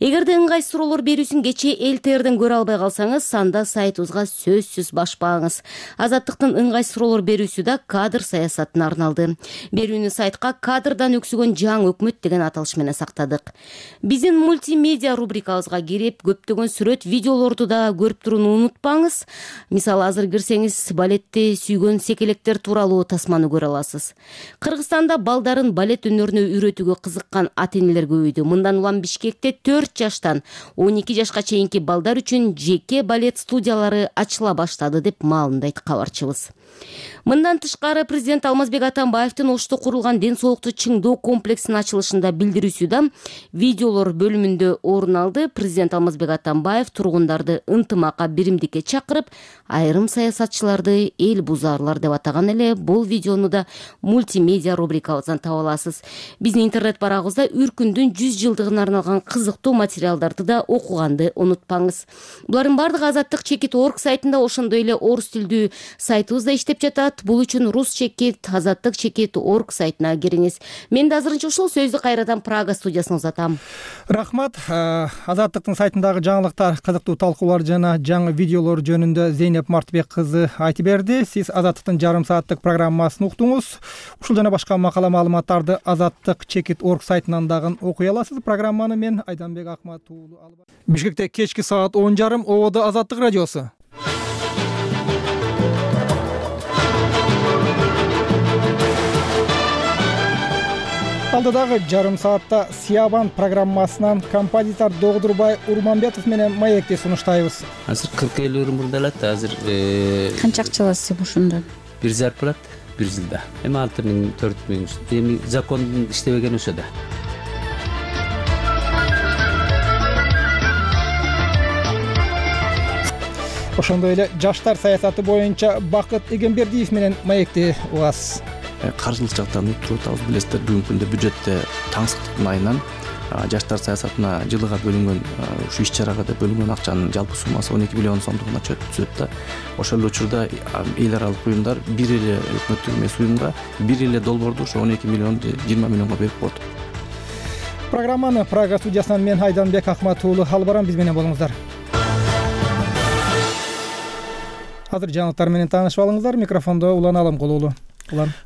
Эгерде ыңгайсыз суроолор берүүсүн кечээ ЛТРден көрө албай калсаңыз, анда сайтыбызга сөзсүз башпаңыз. Азаттыктын ыңгайсыз суроолор берүүсү да кадр саясатына арналды. Берүүнү сайтка кадрдан өксүгөн жаңы өкмөт деген аталыш менен сактадык. Биздин мультимедиа рубрикабызга кирип, көптөгөн сүрөт, видеолорду да көрүп турууну унутпаңыз. Мисалы, азыр кирсеңиз, балетти сүйгөн секелектер тууралуу тасманы көрө аласыз. Кыргызстанда балдарын балет өнөрүнө үйрөтүүгө кызыккан ата-энелер көбөйдү. Мындан улам Бишкекте 4 жаштан 12 жашка чейинки балдар үчүн жеке балет студиялары ачыла баштады, деп маалымдайт кабарчыбыз. Мындан тышкары, президент Алмазбек Атамбаевдин Ошто курулган ден соолукту чыңдоо комплексинин ачылышында билдирүүсү видеолор бөлүмүндө орун алды. Президент Алмазбек Атамбаев тургундарды ынтымакка, биримдикке чакырып, айрым саясатчыларды эл бузаарлар деп атаган эле. Бул видеону да мультимедиа рубрикабыздан таба аласыз. Биздин интернет барагыбызда Үркүндүн 100 жылдыгына арналган кызыктуу материалдарды да окуганды унутпаңыз. Булардын бардыгы Азаттык Чекит орг сайтында, ошондой эле орус тилдүү сайтыбыз да иштеп жатат. Бул үчүн Рус Чекит, Азаттык Чекит орг сайтына кириңиз. Мен да азырынча ушул сөздү кайрадан Прага студиясына узатам. Рахмат. Азаттыктын сайтындагы жаңылыктар, кызыктуу талкуулар жана жаңы видеолор жөнүндө Зейнеп Мартыбек кызы айтып берди. Сиз Азаттыктын жарым сааттык программасын уктуңуз. Ушул жана башка макала маалыматтарды Азаттык Чекит орг сайтынан дагы окуй аласыз. Программаны мен Айданбек Акмат уулу алып. Бишкекте кечки саат 10:30 Ободо Азаттык радиосу. Алдыдагы жарым саатта Сиябан программасынан композитор Догдурбай Урманбетов менен маекти сунуштайбыз. Азыр 40-50 өрүм мурда алат. Азыр канча акча аласыз ушундан? Бир зарплат 1 жылда. Эми 6000, 4000. Эми закон иштебеген өсө да. Ошондой эле жаштар саясаты боюнча Бакыт Эгембердиев менен маекти угасыз. Каржылык жактан туруп атабыз. Билесиздер, бүгүнкү күндө бюджетте таңсыктыктын айынан жаштар саясатына жылыга бөлүнгөн ушу иш-чарага да бөлүнгөн акчанын жалпы суммасы 12 миллион сомдугуна түзөт да. Ошол эле учурда эл аралык уюмдар бир эле өкмөттүк эмес уюмга бир эле долбоорду ошо 12 миллион 20 миллионго берип коет. Программаны Прага студиясынан мен Айданбек Акмат уулу алып барам, биз менен болуңуздар. Азыр жаңылыктар менен таанышып алыңыздар. Микрофондо Улан Аламкулуу.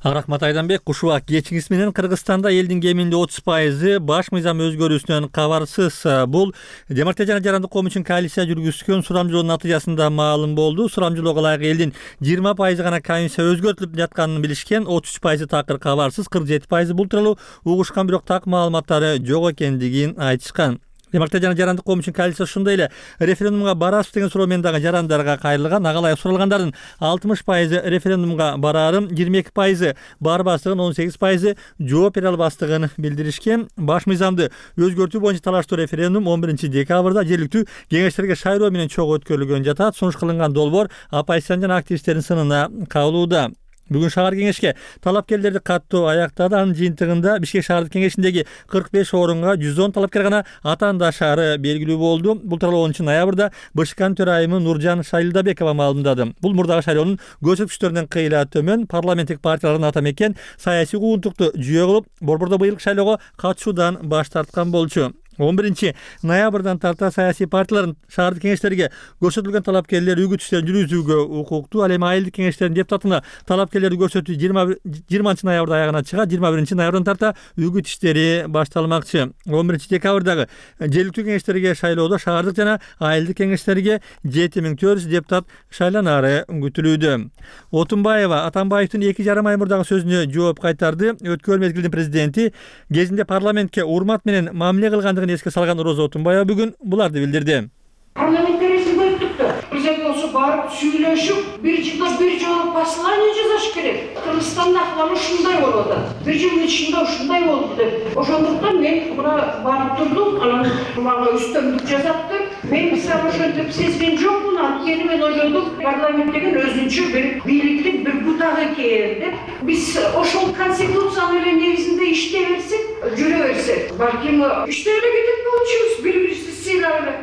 Рахмат Айданбек. Ушуак кечиңиз менен Кыргызстанда элдин кеминде 30% баш мыйзам өзгөрүүсүнөн кабарсыз. Бул Демократия жана Жарандык коом үчүн коалиция жүргүзгөн сурамжылоонун натыйжасында маалым болду. Сурамжылоого ылайык элдин 20% гана комиссия өзгөртүлүп жатканын билишкен, 33% такыр кабарсыз, 47% бул тууралуу угушкан, бирок так маалыматтары жок экендигин айтышкан. Демократия жана Жарандык коом үчүн коалиция ошондой эле референдумга барасыз деген суроо менен дагы жарандарга кайрылган. Ага ылайык суралгандардын 60% референдумга бараарын, 22% барбастыгын, 18% жооп бере албастыгын билдиришкен. Баш мыйзамды өзгөртүү боюнча талаштуу референдум 11 декабрда жергиликтүү кеңештерге шайлоо менен чогуу өткөрүлгөн жатат. Сунуш кылынган долбоор оппозициянын жана активисттердин сынына кабылууда. Бүгүн шаар кеңешке талапкерлерди каттоо аяктады. Анын жыйынтыгында Бишкек шаардык кеңешиндеги 45 орунга 110 талапкер гана атаандашары белгилүү болду. Бул тууралуу 10 ноябрда БШКнын төрайымы Нуржан Шайлдабекова маалымдады. Бул мурдагы шайлоонун көрсөткүчтөрүнөн кыйла төмөн. Парламенттик партиялардын ата мекен саясий укуктукту жүйө кылып, борбордо быйылкы шайлоого катышуудан баш тарткан болчу. 11 ноябрдан тарта саясий партиялардын шаардык кеңештерге көрсөтүлгөн талапкерлер үгүт иштерин жүргүзүүгө укуктуу. Ал эми айылдык кеңештердин депутатына талапкерлерди көрсөтүү 20 ноябрда аягына чыгат. 21 ноябрдан тарта үгүт иштери башталмакчы. 11 декабрдагы жергиликтүү кеңештерге шайлоодо шаардык жана айылдык кеңештерге 7400 депутат шайланары күтүлүүдө. Отунбаева Атамбаевдин 2,5 ай мурдагы сөзүнө жооп кайтарды. Өткөн мезгилдин президенти кезинде парламентке урмат менен мамиле кылгандыгын эске салган Роза Отунбаева бүгүн буларды билдирди. Парламентаризм өттүктү. Президент болсо барып сүйлөшүп, бир жылда бир жолу послание жазыш керек. Кыргызстанда акыбар ушундай болот. Бир жылдын ичинде ушундай болду деп. Ошондуктан мен мына барып турдум, анан мага үстөмдүк жазаптыр. Мен мисалы ошентип сезген жокмун, анткени мен ойлодум, парламент деген өзүнчө бир бийликтин бир бутагы экен деп. Биз ошол конституциянын эле негизинде иштей берсек, жүрө берсек, балким иштей эле кетет болчубуз, бири-бирибизди сыйлап эле.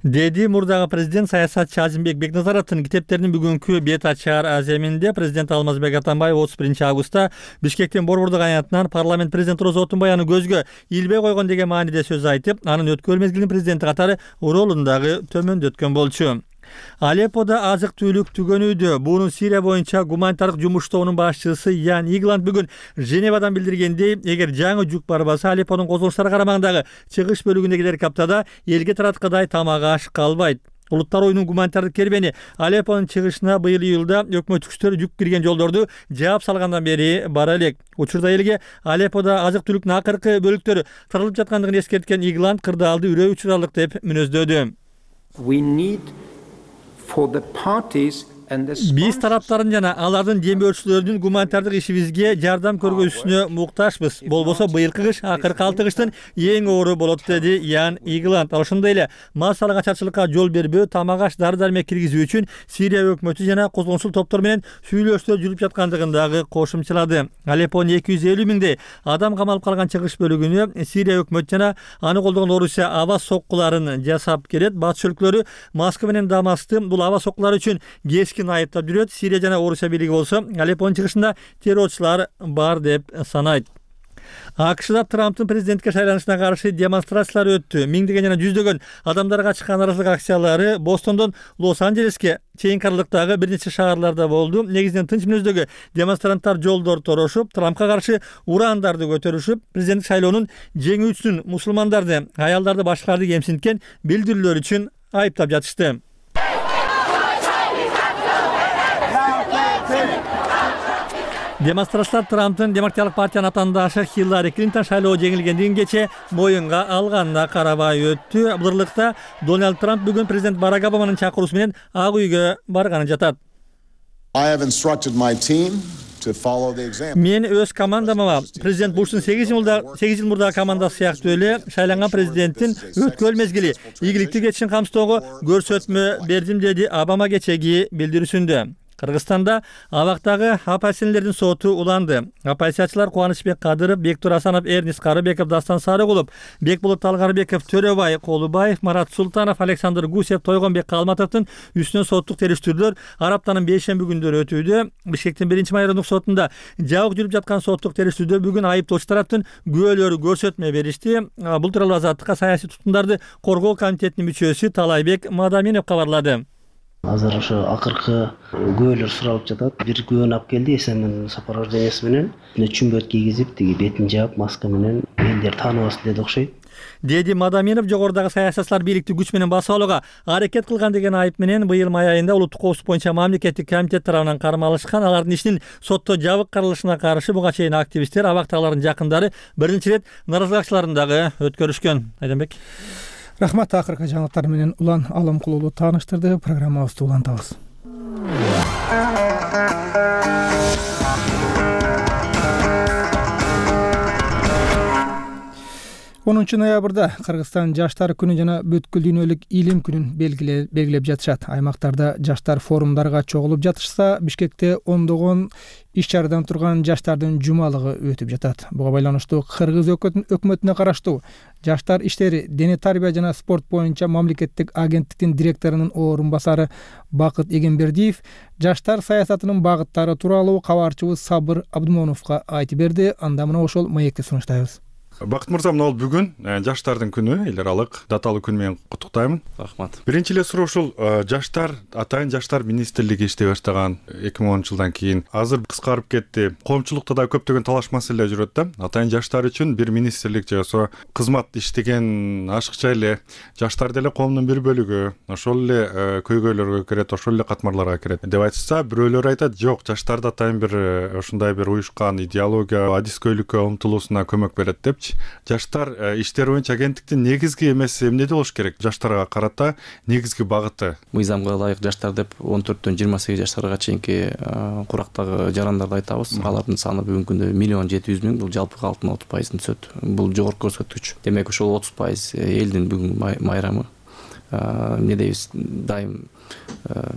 Деди мурдагы президент саясатчы Азимбек Бекназаровдун китептеринин бүгүнкү бет ачар аземинде президент Алмазбек Атамбаев 31 августта Бишкектин Борбордук аянтынан парламент президенти Роза Отунбаеваны көзгө илбей койгон деген мааниде сөз айтып, анын өткөн мезгилдин президенти катары ролун дагы төмөндөткөн болчу. Алепподо азык түлүк түгөнүүдө. Бунун Сирия боюнча гуманитардык жумуш тобунун башчысы Ян Игланд бүгүн Женевадан билдиргендей, эгер жаңы жүк барбаса, Алепподун козголуштары карамагындагы чыгыш бөлүгүндөгү каптада элге тараткадай тамак аш калбайт. Улуттар оюнунун гуманитардык кербени Алеппонун чыгышына быйыл июлда өкмөт күчтөрү жүк кирген жолдорду жаап салгандан бери бара элек. Учурда элге Алепподо азык түлүктүн акыркы бөлүктөрү таралып жаткандыгын эскерткен Игланд кырдаалды үрөө учуралык деп мүнөздөдү. We need for the parties Биз тараптардын жана алардын демөөрчүлөрүнүн гуманитардык ишибизге жардам көргөзүүсүнө муктажбыз. Болбосо быйылкы кыш акыркы 6 кыштын эң оору болот, деди Ян Игеланд. Ошондой эле массалык ачарчылыкка жол бербөө, тамак аш, дары-дармек киргизүү үчүн Сирия өкмөтү жана козгончул топтор менен сүйлөшүүлөр жүрүп жаткандыгын дагы кошумчалады. Алеппонун 250 миңдей адам камалып калган чыгыш бөлүгүнө Сирия өкмөтү жана аны колдогон Орусия аба соккуларын жасап келет. Батыш өлкөлөрү Москва менен Дамасты бул аба соккулар үчүн кескин айыптап жүрөт. Сирия жана Орусия бийлиги болсо Алеппонун чыгышында террорчулар бар деп санайт. АКШда Трамптын президентке шайланышына каршы демонстрациялар өттү. Миңдеген жана жүздөгөн адамдарга чыккан нааразылык акциялары Бостондон Лос-Анджелеске чейинки аралыктагы бир нече шаарларда болду. Негизинен тынч мүнөздөгү демонстранттар жолдор торошуп, Трампка каршы урандарды көтөрүшүп, президенттик шайлоонун жеңүүчүсүн мусулмандарды, аялдарды, башкаларды кемсинткен билдирүүлөр үчүн айыптап жатышты. Демонстрациялар Трамптын Демократиялык партиянын атаандашы Хиллари Клинтон шайлоо жеңилгендигин кече моюнга алганына карабай өттү. Булырлыкта Дональд Трамп бүгүн президент Барак Обаманын чакыруусу менен Ак үйгө барганын жатат. Мен өз командама президент Буштун 8 жыл мурдагы командасы сыяктуу эле шайланган президенттин өткөн мезгили ийгиликтүү кетишин камсыздоого көрсөтмө бердим, деди Обама кечеги билдирүүсүндө. Кыргызстанда абактагы оппозиционерлердин соту уланды. Оппозициячылар Кубанычбек Кадыров, Бектур Асанов, Эрнис Карыбеков, Дастан Сарыгулов, Бекболот Талгарбеков, Төрөбай Колубаев, Марат Султанов, Александр Гусев, Тойгонбек Калматовдун үстүнөн соттук териштирүүлөр аптанын 5-шемби күндөрү өтүүдө. Бишкектин 1-майрындык сотунда жабык жүрүп жаткан соттук териштирүүдө бүгүн айыптоочу тараптын күбөлөрү көрсөтмө беришти. Бул тууралуу Азаттыкка саясий туткундарды коргоо комитетинин мүчөсү Талайбек Мадаминов кабарлады. Азыр ошо акыркы күбөлөр суралып жатат. Бир күбөнү алып келди, эсенин сопровождениясы менен чүмбөт кийгизип, тиги бетин жаап, маска менен элдер тааныбасын деди окшойт, деди Мадаминов. Жогорудагы саясатчылар бийликти күч менен басып алууга аракет кылган деген айып менен быйыл май айында улуттук коопсуздук боюнча мамлекеттик комитет тарабынан кармалышкан. Алардын ишинин сотто жабык каралышына каршы буга чейин активисттер, абактагылардын жакындары биринчи рет нааразылык акчаларын дагы өткөрүшкөн. Айданбек. Рахмат. Акыркы жаңылыктар менен Улан Алымкулуулу тааныштырды. Программабызды улантабыз. 10 ноябрда Кыргызстан жаштар күнү жана бүткүл дүйнөлүк илим күнүн белгилеп жатышат. Аймактарда жаштар форумдарга чогулуп жатышса, Бишкекте ондогон иш чарадан турган жаштардын жумалыгы өтүп жатат. Буга байланыштуу Кыргыз өкмөтүнө караштуу жаштар иштери, дене тарбия жана спорт боюнча мамлекеттик агенттиктин директорунун орун басары Бакыт Эгембердиев жаштар саясатынын багыттары тууралуу кабарчыбыз Сабыр Абдумоновго айтып берди. Анда мына ошол маекти сунуштайбыз. Бакыт мырза, мына бүгүн жаштардын күнү, эл аралык даталуу күн менен куттуктайм. Рахмат. Биринчи эле суроо ушул жаштар, атайын жаштар министрлиги иштей баштаган 2010-жылдан кийин азыр кыскарып кетти. Коомчулукта да көптөгөн талаш маселелер жүрөт да. Атайын жаштар үчүн бир министрлик жашоо кызмат иштеген ашыкча эле жаштар деле коомдун бир бөлүгү, ошол эле көйгөйлөргө кирет, ошол эле катмарларга кирет деп айтышса, бирөөлөр айтат, жок, жаштарды атайын бир ушундай бир уюшкан идеология, адискөйлүккө умтулуусуна көмөк берет деп. Жаштар иштери боюнча агенттиктин негизги эмеси эмнеде болуш керек? Жаштарга карата негизги багыты. Мыйзамга ылайык жаштар деп 14-төн 28 жаштарга чейинки курактагы жарандарды айтабыз. Алардын саны бүгүнкү күндө 1.700.000, бул жалпы калктын 30%-ын түзөт. Бул жогорку көрсөткүч. Демек ошол 30% элдин бүгүн майрамы. Эмне дейбиз? Дайым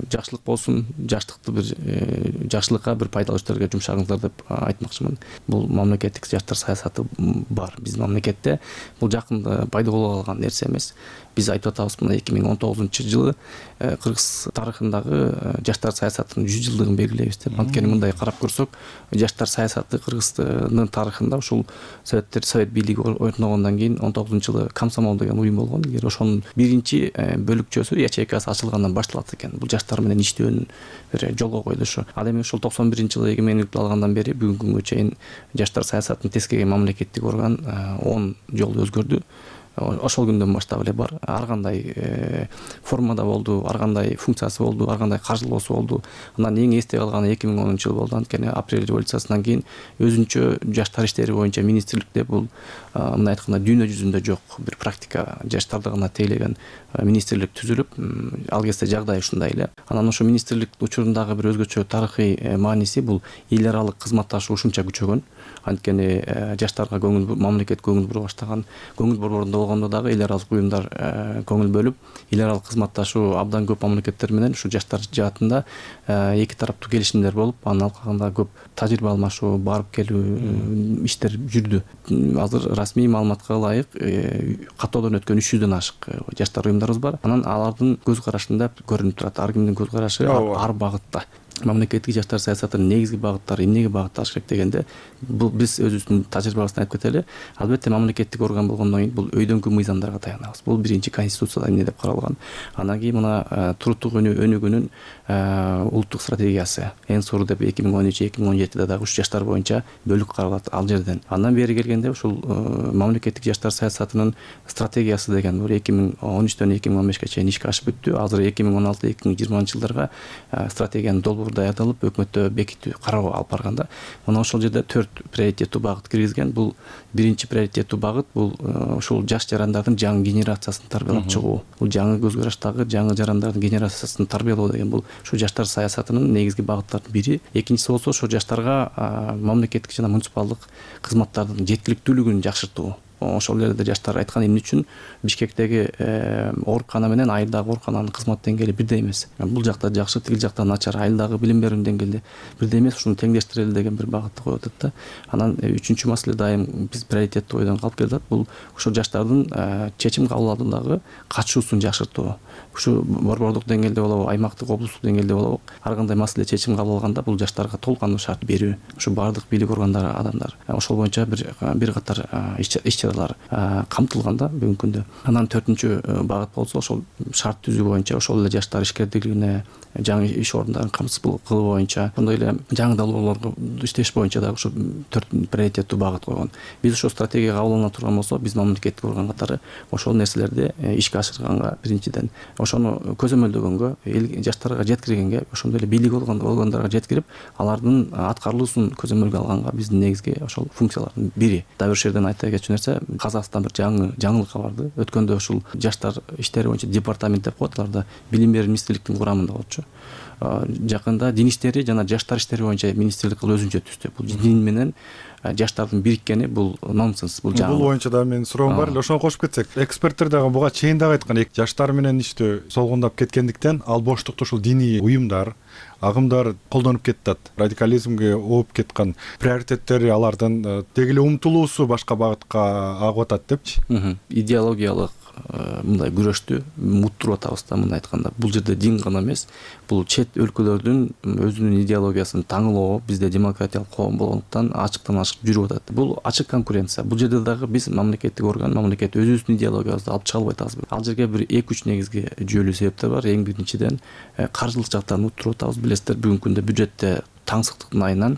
жакшылык болсун, жакшылыкка бир пайдалуу иштерге жумшагыңыздар деп айтмакчымын. Бул мамлекеттик жаштар саясаты бар биздин мамлекетте. Бул жакында пайда боло калган нерсе эмес. Биз айтып атабыз, мына 2019-жылы Кыргыз тарыхындагы жаштар саясатынын 100 жылдыгын белгилейбиз деп. Анткени мындай карап көрсөк, жаштар саясаты Кыргыздын тарыхында ушул Совет бийлиги орногондон кийин 19-жылы комсомол деген уюм болгон. Ошонун биринчи бөлүкчөсү ячейкасы ачылгандан башталат экен. Бул жаштар менен иштөөнүн бир жолго коюлушу. Ал эми ушул 91-жылы эгемендикти алгандан бери бүгүнкү күнгө чейин жаштар саясатын тескерген мамлекеттик орган 10 жолу өзгөрдү. ошол күндөн баштап эле бар. Ар кандай формада болду, ар кандай функциясы болду, ар кандай каржылоосу болду. Анан эң эсте калганы 2010 болду. Анткени апрель революциясынан кийин өзүнчө жаштар иштери боюнча министрликте бул мындай айтканда дүйнө жүзүндө жок бир практика, жаштарды гана тейлеген министрлик түзүлүп, ал кезде жагдай ушундай эле. Анан ошо министрлик учурундагы бир өзгөчө тарыхый мааниси бул эл аралык кызматташуу ушунча күчөгөн. Анткени жаштарга мамлекет көңүл бура баштаган, көңүл борборунда болгондо дагы эл аралык уюмдар көңүл бөлүп, эл аралык кызматташуу абдан көп мамлекеттер менен ушу жаштар жаатында эки тараптуу келишимдер болуп, анын алкагында көп тажрыйба алмашуу, барып келүү иштер жүрдү. Азыр расмий маалыматка ылайык каттоодон өткөн 300дөн ашык жаштар уюмдарыбыз бар. Анан алардын көз карашында көрүнүп турат, ар кимдин көз карашы ар багытта. Мамлекеттик жаштар саясатынын негизги багыттары эмнеге багытталыш керек дегенде, бул биз өзүбүздүн тажрыйбабыздан айтып кетели. Албетте мамлекеттик орган болгондон кийин бул өйдөнкү мыйзамдарга таянабыз. Бул биринчи конституцияда эмне деп каралган. Анан кийин мына туруктук өнүгүүнүн улуттук стратегиясы эң сору деп 2013-2017 дагы ушу жаштар боюнча бөлүк каралат ал жерден. Андан бери келгенде ушул мамлекеттик жаштар саясатынын стратегиясы деген бул 2013дөн 2015ге чейин ишке ашып бүттү. Азыр 2016-2020 жылдарга стратегиянын долбоору даярдалып, өкмөттө бекитүү кароо алып барганда, мына ошол жерде 4 приоритеттүү багыт киргизген. Бул биринчи приоритеттүү багыт бул ушул жаш жарандардын жаңы генерациясын тарбиялап чыгуу. Бул жаңы көз караштагы жаңы жарандардын генерациясын тарбиялоо деген бул ушу жаштар саясатынын негизги багыттарынын бири. Экинчиси болсо ошо жаштарга мамлекеттик жана муниципалдык кызматтардын жеткиликтүүлүгүн жакшыртуу. Ошол жерде жаштар айткан эмне үчүн Бишкектеги оорукана менен айылдагы оорукананын кызмат деңгээли бирдей эмес. Бул жакта жакшы, тигил жакта начар, айылдагы билим берүү деңгээли бирдей эмес, ушуну теңдештирели деген бир багытты коюп атат да. Анан үчүнчү маселе дайым биз приоритеттүү ойдон калып келатат. Бул ошо жаштардын чечим кабыл алуудагы катышуусун жакшыртуу. Ушу борбордук деңгээлде болобу, аймактык, облустук деңгээлде болобу, ар кандай маселе чечим кабыл алганда бул жаштарга толук кандуу шарт берүү. Ушу бардык бийлик органдары адамдар ошол боюнча бир катар иш-чаралар камтылганда бүгүнкү күндө. Анан 4-күнчү багыт болсо ошол шарт түзүү боюнча, ошол эле жаштар ишкердиклигине, жаңы иш орундарын камсыз кылуу боюнча, ошондой эле жаңы долбоорлорго иштеш боюнча дагы ушу 4 приоритеттүү багыт койгон. Биз ошо стратегия кабыл алына турган болсо, биз мамлекеттик орган катары ошол нерселерди ишке ашырганга биринчиден, ошону көзөмөлдөгөнгө, жаштарга жеткиргенге, ошондой эле бийлик органдарга жеткирип, алардын аткарылуусун көзөмөлгө алганга биздин негизги ошол функциялардын бири. Дагы бир жерден айта кетчү нерсе, Казакстан бир жаңылык кабарды. Өткөндө ушул жаштар иштери боюнча департамент деп коет, аларда билим берүү министрликтин курамында болчу. Жакында дин иштери жана жаштар иштери боюнча министрлик өзүнчө түздү. Бул дин менен жаштардын бириккени бул нонсенс, бул жаңы. Бул боюнча да менин суроом бар эле, ошону кошуп кетсек. Эксперттер дагы буга чейин дагы айткан, жаштар менен иштөө солгундап кеткендиктен ал боштукту ушул диний уюмдар, агымдар колдонуп кетет. Радикализмге ооп кеткен приоритеттери алардын деги эле умтулуусу башка багытка агып атат депчи. Идеологиялык мындай күрөштү муттуруп атабыз да, мындай айтканда. Бул жерде дин гана эмес, бул чет өлкөлөрдүн өзүнүн идеологиясын таңылоо, бизде демократиялык коом болгондуктан ачыктан ачык жүрүп атат. Бул ачык конкуренция. Бул жерде дагы биз мамлекеттик орган, мамлекет өзүбүздүн идеологиябызды алып чыга албай атабыз. Ал жерге бир 2-3 негизги жүйөлүү себептер бар. Эң биринчиден каржылык жактан уттуруп атабыз. Билесиздер, бүгүнкү күндө бюджетте таңсыктыктын айынан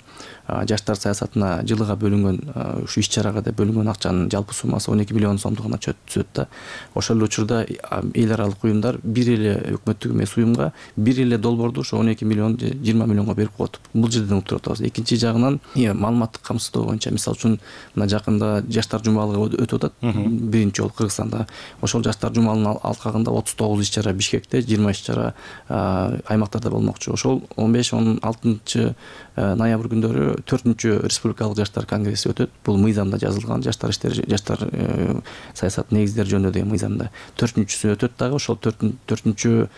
жаштар саясатына жылыга бөлүнгөн ушу иш-чарага деп бөлүнгөн акчанын жалпы суммасы 12 миллион сомдугуна түзөт да. Ошол эле учурда эл аралык уюмдар бир эле өкмөттүк эмес уюмга бир эле долбоорду ошо 12 миллион 20 миллионго берип коет. Бул жерден уктуруп атабыз. Экинчи жагынан маалыматтык камсыздоо боюнча, мисалы үчүн мына жакында жаштар жумалыгы өтүп атат, биринчи жолу Кыргызстанда. Ошол жаштар жумалынын алкагында 39 иш-чара Бишкекте, 20 иш-чара аймактарда болмокчу. Ошол 15-16 ноябрь күндөрү 4-күнчү республикалык жаштар конгресси өтөт. Бул мыйзамда жазылган, жаштар иштери, жаштар саясат негиздери жөнүндө деген мыйзамда. 4-күнчүсү өтөт дагы. Ошол 4-күнчү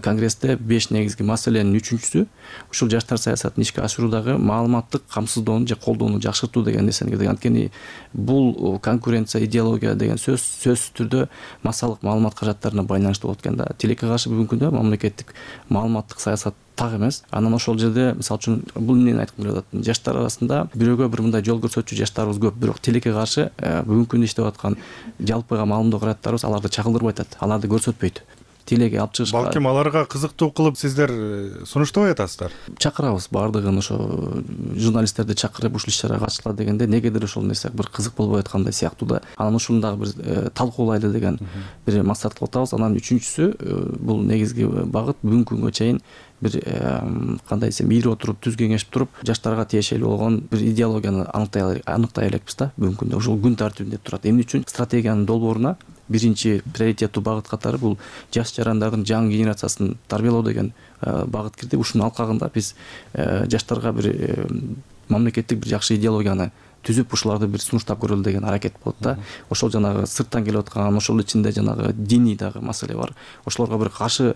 конгрессте 5 негизги маселенин 3-күнчүсү ушул жаштар саясатын ишке ашыруудагы маалыматтык камсыздоону же колдоону жакшыртуу деген нерсени киргизген. Анткени бул конкуренция, идеология деген сөзсүз түрдө массалык маалымат каражаттарына байланыштуу болот экен да. Тилекке каршы бүгүнкү күндө мамлекеттик маалыматтык саясат так эмес. Анан ошол жерде мисалы үчүн бул эмнени айткым келип атат? Жаштар арасында бирөөгө бир мындай жол көрсөтчү жаштарыбыз көп, бирок тилекке каршы бүгүнкү күндө иштеп аткан жалпыга маалымдоо каражаттарыбыз аларды чагылдырбай атат, аларды көрсөтпөйт. телеге алып чыгышка балким аларга кызыктуу кылып сиздер сунуштабай атасыздар. Чакырабыз баардыгын, ошо журналисттерди чакырып ушул иш чарага катышкыла дегенде негедир ошол нерсе бир кызык болбой аткандай сыяктуу да. Анан ушуну дагы бир талкуулайлы деген бир максат кылып атабыз. Анан үчүнчүсү бул негизги багыт бүгүнкү күнгө чейин бир кандай десем ийри отуруп түз кеңешип туруп жаштарга тиешелүү болгон бир идеологияны аныктай элекпиз да. Бүгүнкү күндө ушул күн тартибинде турат. Эмне үчүн стратегиянын долбооруна биринчи приоритеттүү багыт катары бул жаш жарандардын жаңы генерациясын тарбиялоо деген багыт кирди. Ушунун алкагында биз жаштарга бир мамлекеттик бир жакшы идеологияны түзүп ушуларды бир сунуштап көрөлү деген аракет болот да. Ошол жанагы сырттан келип аткан, ошол ичинде жанагы диний дагы маселе бар. Ошолорго бир каршы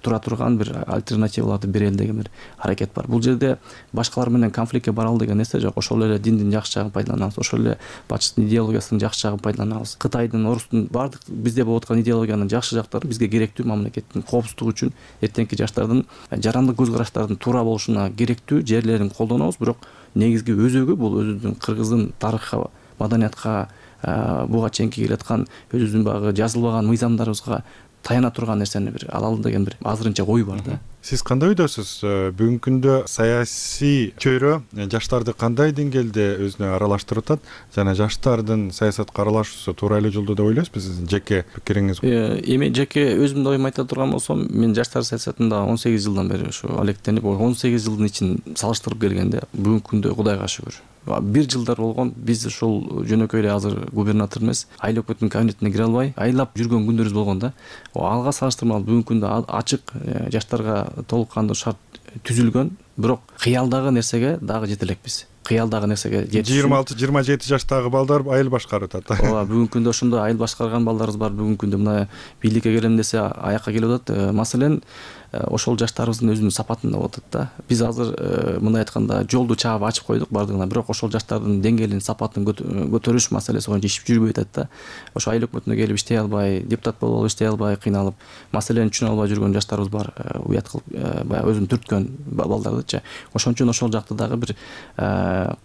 тура турган бир альтернативаларды берели деген бир аракет бар. Бул жерде башкалар менен конфликтке баралы деген нерсе жок. Ошол эле диндин жакшы жагын пайдаланабыз, ошол эле батыштын идеологиясынын жакшы жагын пайдаланабыз. Кытайдын, Орустун баардык бизде болуп аткан идеологиянын жакшы жактары бизге керектүү, мамлекеттин коопсуздугу үчүн, эртеңки жаштардын жарандык көз караштардын туура болушуна керектүү жерлерин колдонобуз. Бирок негизги өзөгү бул өзүбүздүн кыргыздын тарыхка, маданиятка, буга чейинки келаткан өзүбүздүн багы жазылбаган мыйзамдарыбызга таяна турган нерсени бир алалы деген бир азырынча ой бар да. Сиз кандай ойдосуз? Бүгүнкү күндө саясий чөйрө жаштарды кандай деңгээлде өзүнө аралаштырып атат жана жаштардын саясатка аралашуусу туура эле жолдо деп ойлойсузбу? Сиздин жеке пикириңиз? Эми жеке өзүмдүн оюмду айта турган болсом, мен жаштар саясатында 18 жылдан бери ушу алектенип, 18 жылдын ичин салыштырып келгенде бүгүнкү күндө Кудайга шүгүр бир жылдар болгон биз ушул жөнөкөй эле азыр губернатор эмес, айыл өкмөттүн кабинетине кире албай, айлап жүргөн күндөрүбүз болгон да. Алга салыштырмалуу бүгүнкү күндө ачык жаштарга толук кандуу шарт түзүлгөн, бирок кыялдагы нерсеге дагы жете элекпиз. Кыялдагы нерсеге 26-27 жаштагы балдар айыл башкарып атат. Ооба, бүгүнкү күндө ошондой айыл башкарган балдарыбыз бар. Бүгүнкү күндө мына бийликке келем десе аякка келип атат. Маселен, ошол жаштарыбыздын өзүнүн сапатында болуп атат да. Биз азыр мындай айтканда жолду чаап ачып койдук бардыгына, бирок ошол жаштардын деңгээлин, сапатын көтөрүш маселеси боюнча иш жүрбөй атат да. Ошо айыл өкмөтүнө келип иштей албай, депутат болуп алып иштей албай кыйналып, маселени түшүнө албай жүргөн жаштарыбыз бар. Уят кылып, баягы өзүн түрткөн балдардычы. Ошон үчүн ошол жакты дагы бир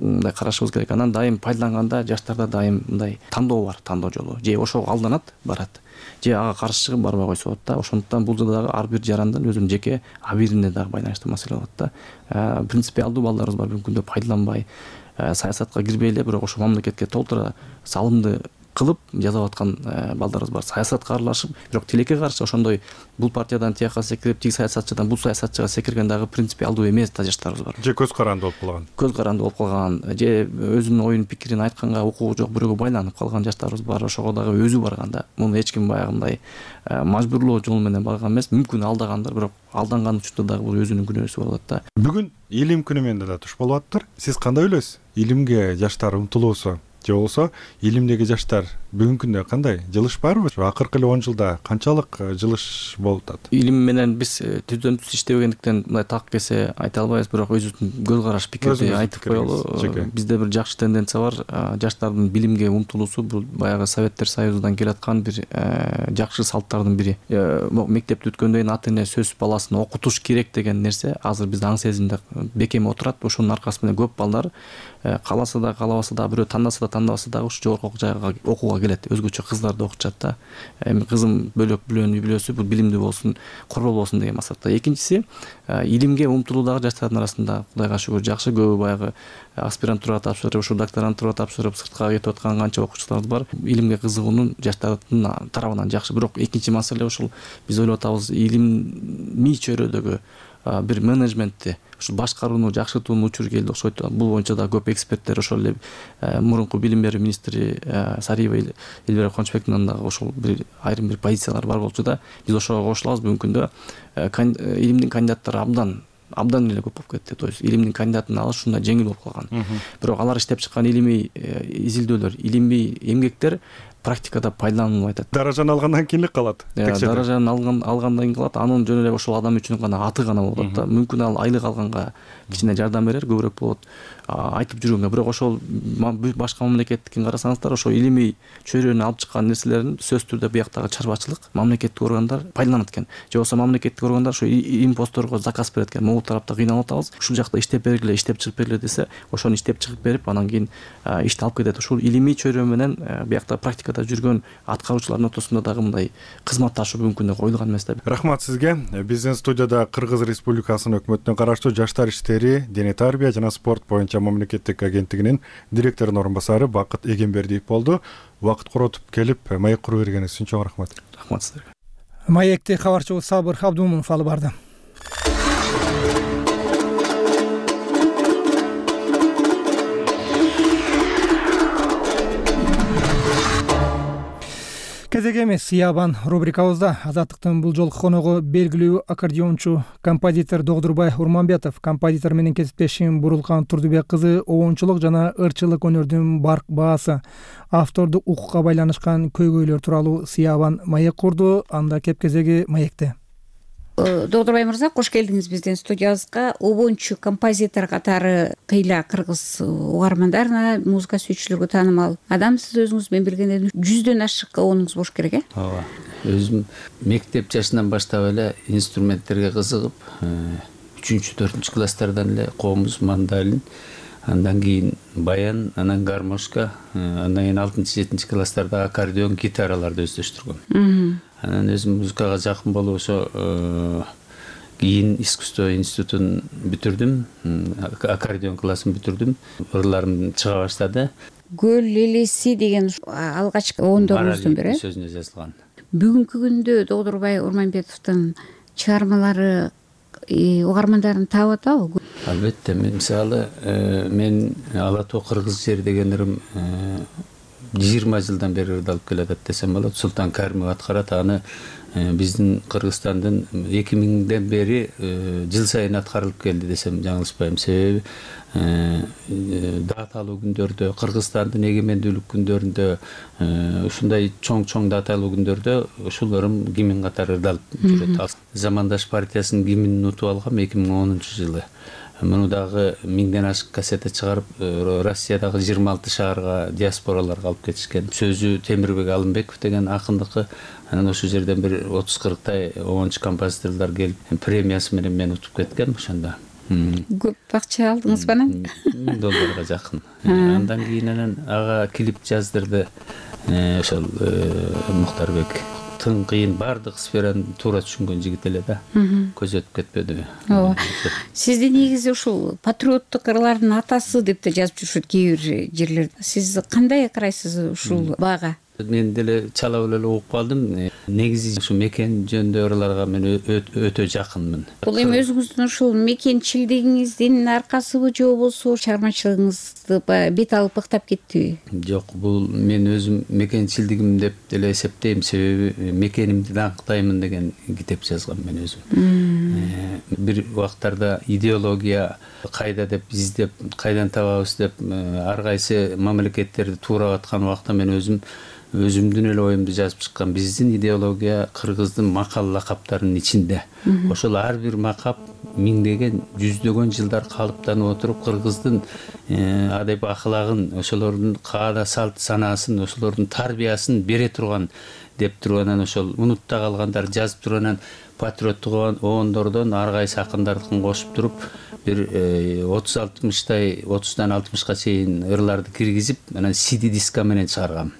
мындай карашыбыз керек. Анан дайым пайдаланганда жаштарда дайым мындай тандоо бар, тандоо жолу. Же ошого алданат, барат. Же ага каршы чыгып барбай койсо болот да. Ошондуктан бул жерде дагы ар бир жарандын өзүнүн жеке абийирине дагы байланыштуу маселе болот да. Принципиалдуу балдарыбыз бар бүгүнкү күндө пайдаланбай, саясатка кирбей эле, бирок ошо мамлекетке толтура салымды кылып жасап аткан балдарыбыз бар. Саясатка аралашып, бирок тилекке каршы ошондой бул партиядан тияка секирип, тиги саясатчыдан бул саясатчыга секирген дагы принципиалдуу эмес да жаштарыбыз бар. Же көз каранды болуп калган. Көз каранды болуп калган, же өзүнүн оюн пикирин айтканга укугу жок бирөөгө байланып калган жаштарыбыз бар. Ошого дагы өзү барган да. Муну эч ким баягындай мажбурлоо жол менен барган эмес. Мүмкүн алдагандыр, бирок алданган учурда дагы бул өзүнүн күнөөсү болот да. Бүгүн илим күнү менен да туш болуп атыптыр. Сиз кандай ойлойсуз? Илимге жаштар умтулуусу же болбосо илимдеги жаштар бүгүнкү күндө кандай? Жылыш барбы? Акыркы эле 10 жылда канчалык жылыш болуп атат? Илим менен биз түздөн түз иштебегендиктен мындай так кесе айта албайбыз, бирок өзүбүздүн көз караш пикирди айтып коелу. Бизде бир жакшы тенденция бар. Жаштардын билимге умтулуусу бул баягы Советтер Союзунан келаткан бир жакшы салттардын бири. Мектепти бүткөндөн кийин ата эне сөз баласын окутуш керек деген нерсе азыр бизде аң сезимде бекем отурат. Ошонун аркасы менен көп балдар кааласа да каалабаса да, бирөө тандаса да тандабаса дагы ушу жогорку жайга окууга келет. Өзгөчө кыздарды окутушат да. Эми кызым бөлөк билүүнү билөөсү, бул билимдүү болсун, корбол болсун деген максатта. Экинчиси, илимге умтулуу дагы жаштардын арасында Кудайга шүгүр жакшы. Көбү баягы аспирантура тапшырып, ушу докторантура тапшырып, сыртка кетип аткан канча окуучуларыбыз бар. Илимге кызыгуунун жаштардын тарабынан жакшы. Бирок экинчи маселе ушул биз ойлоп атабыз, илимий чөйрөдөгү бир менеджментти, ушу башкарууну жакшыртуунун учуру келди окшойт. Бул боюнча да көп эксперттер, ошол эле мурунку билим берүү министри Сариева Эльвира Кончбектин дагы ошол бир айрым бир позициялар бар болчу да. Биз ошого кошулабыз. Бүгүнкү күндө илимдин кандидаттары абдан эле көп болуп кетти. То есть илимдин кандидатын алыш ушундай жеңил болуп калган. Бирок алар иштеп чыккан илимий изилдөөлөр, илимий эмгектер практикада пайдаланылбай атат. Даражаны алгандан кийин эле калат. Даражаны алгандан кийин калат. Анын жөн эле ошол адам үчүн гана аты гана болот да. Мүмкүн ал айлык алганга кичине жардам берер, көбүрөөк болот айтып жүргөнгө. Бирок ошол башка мамлекеттикин карасаңыздар, ошо илимий чөйрөнү алып чыккан нерселерин сөзсүз түрдө бияктагы чарбачылык, мамлекеттик органдар пайдаланат экен. Же болбосо мамлекеттик органдар ошо импосторго заказ берет экен. Могул тарапта кыйналып атабыз. Ушул жакта иштеп бергиле, иштеп чыгып бергиле десе, ошону иштеп чыгып берип, анан кийин ишти алып кетет. Ушул илимий чөйрө менен биякта практика республикада жүргөн аткаруучулардын ортосунда дагы мындай кызматташуу мүмкүн деп коюлган эмес да. Рахмат сизге. Биздин студияда Кыргыз Республикасынын өкмөтүнө караштуу жаштар иштери, дене тарбия жана спорт боюнча мамлекеттик агенттигинин директорунун орун басары Бакыт Эгембердиев болду. Убакыт коротуп келип маек куруп бергениңиз үчүн чоң рахмат. Рахмат сизерге. Маекти кабарчыбыз Сабыр Абдумунов алып барды. Кезек эмес Сыябан рубрикабызда Азаттыктын бул жолку коногу белгилүү аккордеончу, композитор Догдурбай Урманбетов. Композитор менен кесиптешим Бурулкан Турдубек кызы обончулук жана ырчылык өнөрдүн барк баасы, автордук укукка байланышкан көйгөйлөр тууралуу Сыябан маек курду. Анда кеп кезеги маекте. Догдурбай мырза, кош келдиңиз биздин студиябызга. Обончу композитор катары кыйла кыргыз угармандарына, музыка сүйүүчүлөргө таанымал адам. Сиз өзүңүз менен биргенде 100дөн ашык обонуңуз болуш керек, э? Ооба. Өзүм мектеп жашынан баштап эле инструменттерге кызыгып, 3-4 класстардан эле комуз, мандолин, андан кийин баян, анан гармошка, андан кийин 6-7 класстарда аккордеон, гитараларды өздөштүргөм. Анан өзүм музыкага жакын болуп ошо кийин искусство институтун бүтүрдүм, аккордеон классын бүтүрдүм. Ырларым чыга баштады. Көл элеси деген алгачкы ондоруңуздун бири. Сөзүнө жазылган. Бүгүнкү күндө Догдурбай Урманбетовдун чыгармалары угармандарын таап атабы? Албетте, мисалы мен Ала тоо кыргыз жери деген ырым 20 жылдан бери ырдалып келатат десем болот. Султан Каримов аткарат. Аны биздин Кыргызстандын 2000ден бери жыл сайын аткарылып келди десем жаңылышпайм. Себеби даталуу күндөрдө, Кыргызстандын эгемендүүлүк күндөрүндө, ушундай чоң даталуу күндөрдө ушул ырым гимн катары ырдалып жүрөт. Замандаш партиясынын гимнин утуп алгам 2010-жылы. Муну дагы 1000ден ашык кассета чыгарып, Россиядагы 26 шаарга, диаспораларга алып кетишкен. Сөзү Темирбек Алымбеков деген акындыкы. Анан ошол жерден бир 30-40 обончу композиторлор келип, премиясы менен мени утуп кеткен ошондо. Көп акча алдыңызбы анан? $10 жакын. Андан кийин анан ага клип жаздырды ошол Мухтарбек. Тың кыйын бардык сфераны туура түшүнгөн жигит эле да. Көз өтүп кетпеди. Ооба. Сизди негизи ушул патриоттук ырлардын атасы деп да жазып жүрүшөт кээ бир жерлерде. Сиз кандай карайсыз ушул баага? Мен деле чала эле угуп калдым. Негизи ушу мекен жөнүндө ырларга мен өтө жакынмын. Бул эми өзүңүздүн ушул мекенчилдигиңиздин аркасыбы же болбосо чыгармачылыгыңызды бет алып ыктап кеттиби? Жок, бул мен өзүм мекенчилдигим деп деле эсептейм. Себеби мекенимди даңктаймын деген китеп жазгам мен өзүм. Бир убактарда идеология кайда деп издеп, кайдан табабыз деп ар кайсы мамлекеттерди туурап аткан убакта мен өзүмдүн эле оюмду жазып чыккан. Биздин идеология кыргыздын макал лакаптарынын ичинде. Ошол ар бир макап миңдеген, жүздөгөн жылдар калыптанып отуруп, кыргыздын адеп акылагын, ошолордун каада салт санаасын, ошолордун тарбиясын бере турган деп турганан ошол унутта калгандар жазып турганан патриоттук обондордон ар кайсы акындардыкын кошуп туруп бир 30-60 30дан 60га чейин ырларды киргизип, анан CD диска менен чыгаргам.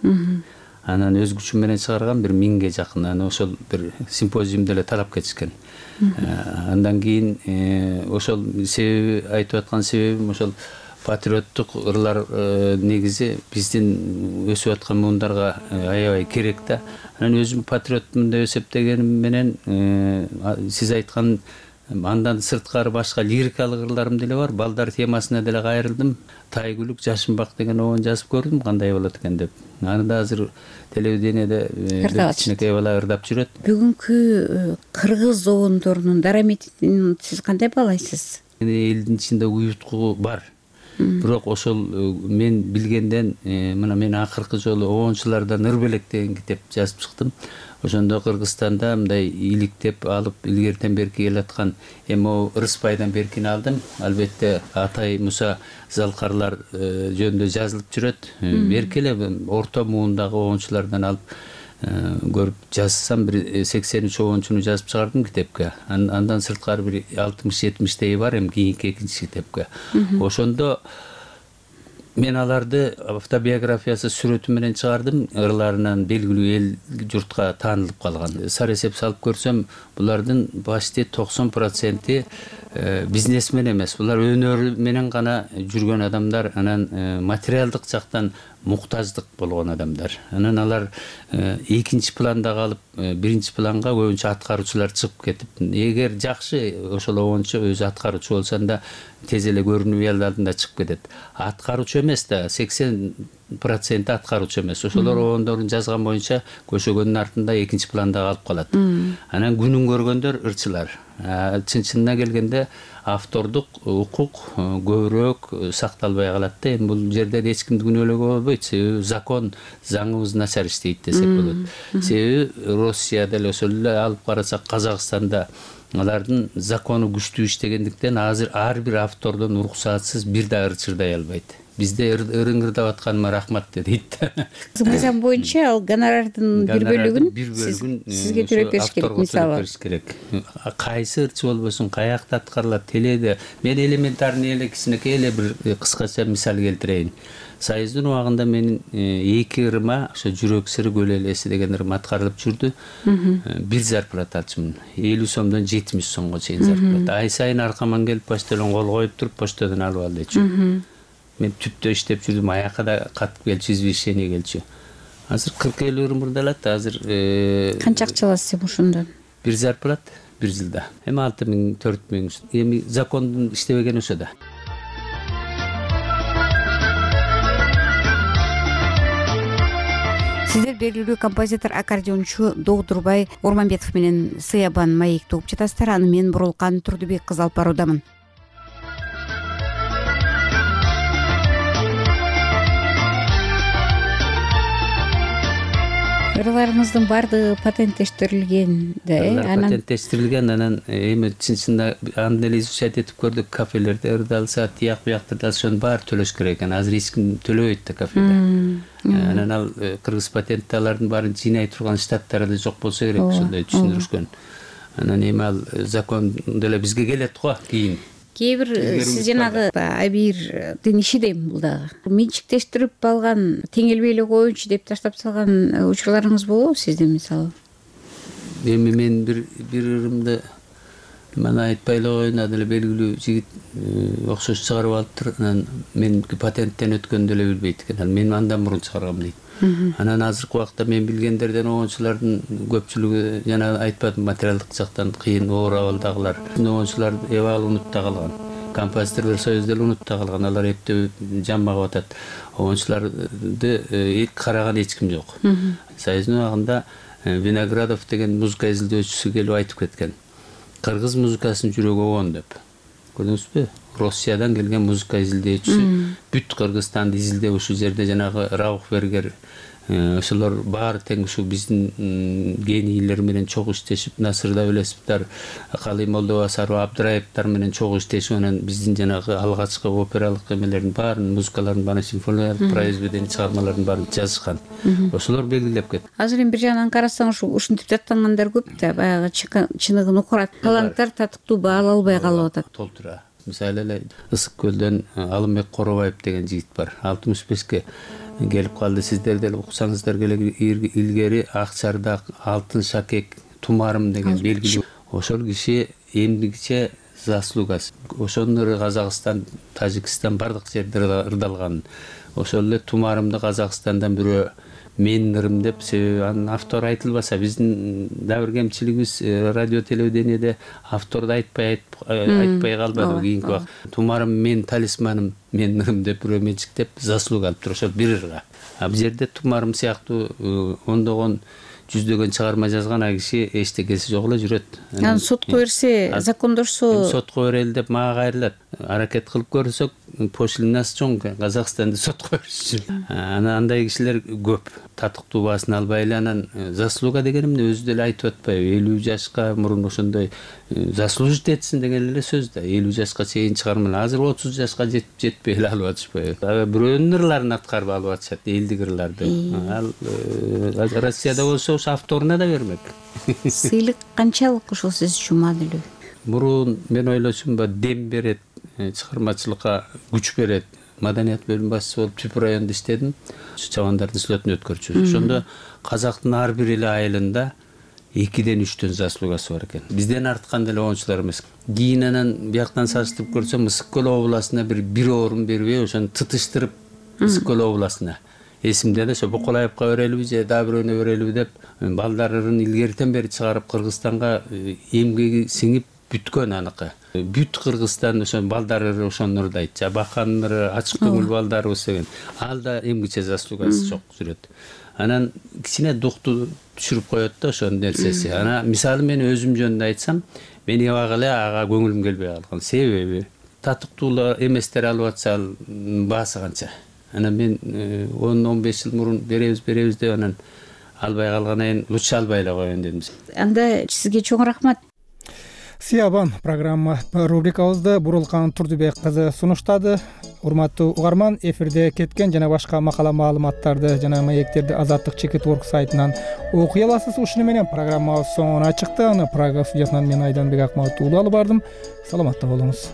Анан өз күчүм менен чыгаргам, бир 1000ге жакын. Анан ошол бир симпозиумда эле тарап кетишкен. Андан кийин ошол себеби айтып аткан себебим ошол патриоттук ырлар негизи биздин өсүп аткан муундарга аябай керек да. Анан өзүм патриотмун деп эсептегеним менен сиз айткан андан сырткары башка лирикалык ырларым деле бар. Балдар темасына деле кайрылдым. Тайгүлүк, Жашынбак деген обон жазып көрдүм, кандай болот экен деп. Аны да азыр телевидениеде кичинекей бала ырдап жүрөт. Бүгүнкү кыргыз обондорунун дараметин сиз кандай баалайсыз? Элдин ичинде уюткуу бар. Бирок ошол мен билгенден мына мен акыркы жолу обончулардан ыр белек деген китеп жазып чыктым. Ошондо Кыргызстанда мындай иликтеп алып илгертен берки келаткан эми Ырыспайдан беркини алдым. Албетте Атай Муса Залкарлар жөнүндө жазылып жүрөт. Берки эле орто муундагы обончулардан алып көрүп жазсам бир 83 обончуну жазып чыгардым китепке. Андан сырткары бир 60-70 бар эми кийинки экинчи китепке. Ошондо мен аларды автобиографиясы сүрөтү менен чыгардым. Ырларынан белгилүү эл журтка таанылып калган. Сары эсеп салып көрсөм, булардын почти 90% бизнесмен эмес. Булар өнөр менен гана жүргөн адамдар, анан материалдык жактан муктаждык болгон адамдар. Анан алар экинчи планда калып, биринчи планга көбүнчө аткаруучулар чыгып кетип, эгер жакшы ошол обончо өзү аткаруучу болсоң да тез эле көрүнүп эл алдында чыгып кетет. Аткаруучу эмес да, 80% аткаруучу эмес. Ошолор обондорун жазган боюнча көшөгөндүн артында экинчи планда калып калат. Анан күнүн көргөндөр ырчылар. Чын-чынына келгенде автордук укук көбүрөөк сакталбай калат да. Эми бул жерде эч кимди күнөөлөөгө болбойт. Себеби закон, заңыбыз начар иштейт десек болот. Себеби Россияда эле ошол эле алып карасак, Казакстанда алардын закону күчтүү иштегендиктен азыр ар бир автордон уруксатсыз бир да ырчырдай албайт. Бизде ырыңырдап атканыма рахмат дейт. Мыйзам боюнча ал гонорардын бир бөлүгүн сизге төлөп бериш керек, мисалы. Кайсы ырчы болбосун, каякта аткарылат, теледе. Мен элементарный эле кичинекей эле бир кыскача мисал келтирейин. Союздун убагында менин 2 ырыма, ошо жүрөк сыры көл элеси деген ырым аткарылып жүрдү. Бир зарплата алчумун. 50 сомдон 70 сомго чейин зарплата. Ай сайын аркаман келип почтодон кол коюп туруп, почтодон алып ал дечү. Мен түптө иштеп жүрдүм, аякка да катып келчү, извещение келчү. Азыр 40-50 ырым ырдалат, азыр канча акча аласыз ошондон? Бир зарплат, бир жылда. Эми 6000, 4000. Эми закондун иштебеген ошо да. Сиздер белгилүү композитор, аккордеончу Доодурбай Орманбетов менен Сыябан маекти угуп жатасыздар. Аны мен Бурулкан Турдубек кызы алып баруудамын. Ырларыңыздын баардыгы патенттештирилген да, патенттештирилген. Анан эми чын-чынында аны эле изучать этип көрдүк. Кафелерде ырдалса, тияк буяктырда ошонун баары төлөш керек экен. Азыр эч ким төлөбөйт да кафеде. Анан ал кыргыз патентти алардын баарын жыйнай турган штаттары да жок болсо керек, ошондой түшүндүрүшкөн. Анан эми ал закон деле бизге келет го кийин. Кээ бир сиз жанагы Абирдин иши дейм бул дагы. Менчиктештирип алган, теңелбей эле коеюнчу деп таштап салган учурларыңыз болобу сиздин, мисалы? Эми мен бир ырымды мана айтпай эле коеюн, деле белгилүү жигит окшош чыгарып алыптыр. Анан меники патенттен өткөндү эле билбейт экен. Мен андан мурун чыгаргам дейт. Анан азыркы убакта мен билгендерден обончулардын көпчүлүгү жана айтпадым, материалдык жактан кыйын, оор абалдагылар. Обончулар эбал унутта калган. Композиторлор союзу деле унутта калган. Алар эптеп жаммагып атат. Обончуларды караган эч ким жок. Союздун убагында Виноградов деген музыка изилдөөчүсү келип айтып кеткен. Кыргыз музыкасынын жүрөгү обон деп. Көрдүңүзбү? Россиядан келген музыка изилдөөчүсү бүт Кыргызстанды изилдеп ушул жерде жанагы Рауфбергер ошолор баары тең ушу биздин генийлер менен чогуу иштешип, Насыр Давлесовдор, Калый Молдобасаров, Абдыраевдер менен чогуу иштешип, анан биздин жанагы алгачкы опералык эмелердин баарын, музыкалардын баарын, симфониялык произведение чыгармалардын баарын жазышкан. Ошолор белгилеп кетти. Азыр эми бир жагынан карасаң, ушинтип даттангандар көп да, баягы чыныгын укурат. Таланттар татыктуу баала албай калып атат. Толтура. Мисалы эле Ысык көлдөн Алымбек Коробаев деген жигит бар. 65ке келип калды. Сиздер деле уксаңыздар керек, илгери Акчардак, Алтын шакек, Тумарым деген белгилүү. Ошол киши эмдигиче заслугасы. Ошонун Казакстан, Тажикстан бардык жерде ырдалган. Ошол эле Тумарымды Казакстандан бирөө менин ырым деп, себеби анын автору айтылбаса, биздин дагы бир кемчилигибиз радио телевидениеде авторду айтпай калбады кийинки убакта. Тумарым менин талисманым, менин ырым деп бирөө менчиктеп заслуга алыптыр ошол бир ырга. Бул жерде Тумарым сыяктуу ондогон жүздөгөн чыгарма жазган киши эчтекеси жок эле жүрөт. Анан сотко берсе, закондошсо, сотко берели деп мага кайрылат. Аракет кылып көрсөк, пошлинасы чоң, Казакстанды сотко беришчү. Анан андай кишилер көп. Татыктуу баасын албай эле, анан заслуга дегенимди өзү деле айтып атпайбы? 50 жашка мурун ошондой заслужить этсин деген эле сөз да. 50 жашка чейин чыгармалар. Азыр 30 жашка жетпей эле алып атышпайбы? Бирөөнүн ырларын аткарып алып атышат, элдик ырларды. Ал Россияда болсо авторуна да бермек. Сыйлык канчалык ушул сиз үчүн маанилүү? Мурун мен ойлочумба дем берет, чыгармачылыкка күч берет. маданият бөлүм башчысы болуп Түп районунда иштедим. Чабандардын слетин өткөрчүбүз. Ошондо казактын ар бир эле айылында 2ден 3төн заслугасы бар экен. Бизден арткан деле оңчулар эмес. Кийин анан бияктан салыштырып көрсөм, Ысык көл областына бир орун бербей, ошону тытыштырып Ысык көл областына. Эсимде эле ошо Боколаевка берелиби же дагы бирөөнө берелиби деп балдарын илгертен бери чыгарып Кыргызстанга эмгеги сиңип бүткөн аныкы. Бүт Кыргызстан ошо балдары ошону ырдайт. Баканнары, ачык көңүл балдарыбыз деген. Ал да эмгиче заслугасы чок жүрөт. Анан кичине дукту түшүрүп коет да ошонун нерсеси. Анан мисалы мен өзүм жөнүндө айтсам, мен эбак эле ага көңүлүм келбей калган. Себеби татыктуу эместер алып атса баасы канча. Анан мен 10-15 жыл мурун беребиз деп анан албай калгандан кийин лучше албай эле коеюн дедим. Анда сизге чоң рахмат. Сиябан программа рубрикабызды Бурулкан Турдубек кызы сунуштады. Урматтуу угарман, эфирде кеткен жана башка макала маалыматтарды жана маектерди Азаттык Чекит Орг сайтынан окуй аласыз. Ушуну менен программабыз соңуна чыкты. Аны Прага студиясынан мен Айданбек Акматов уулу алып бардым. Саламатта болуңуз.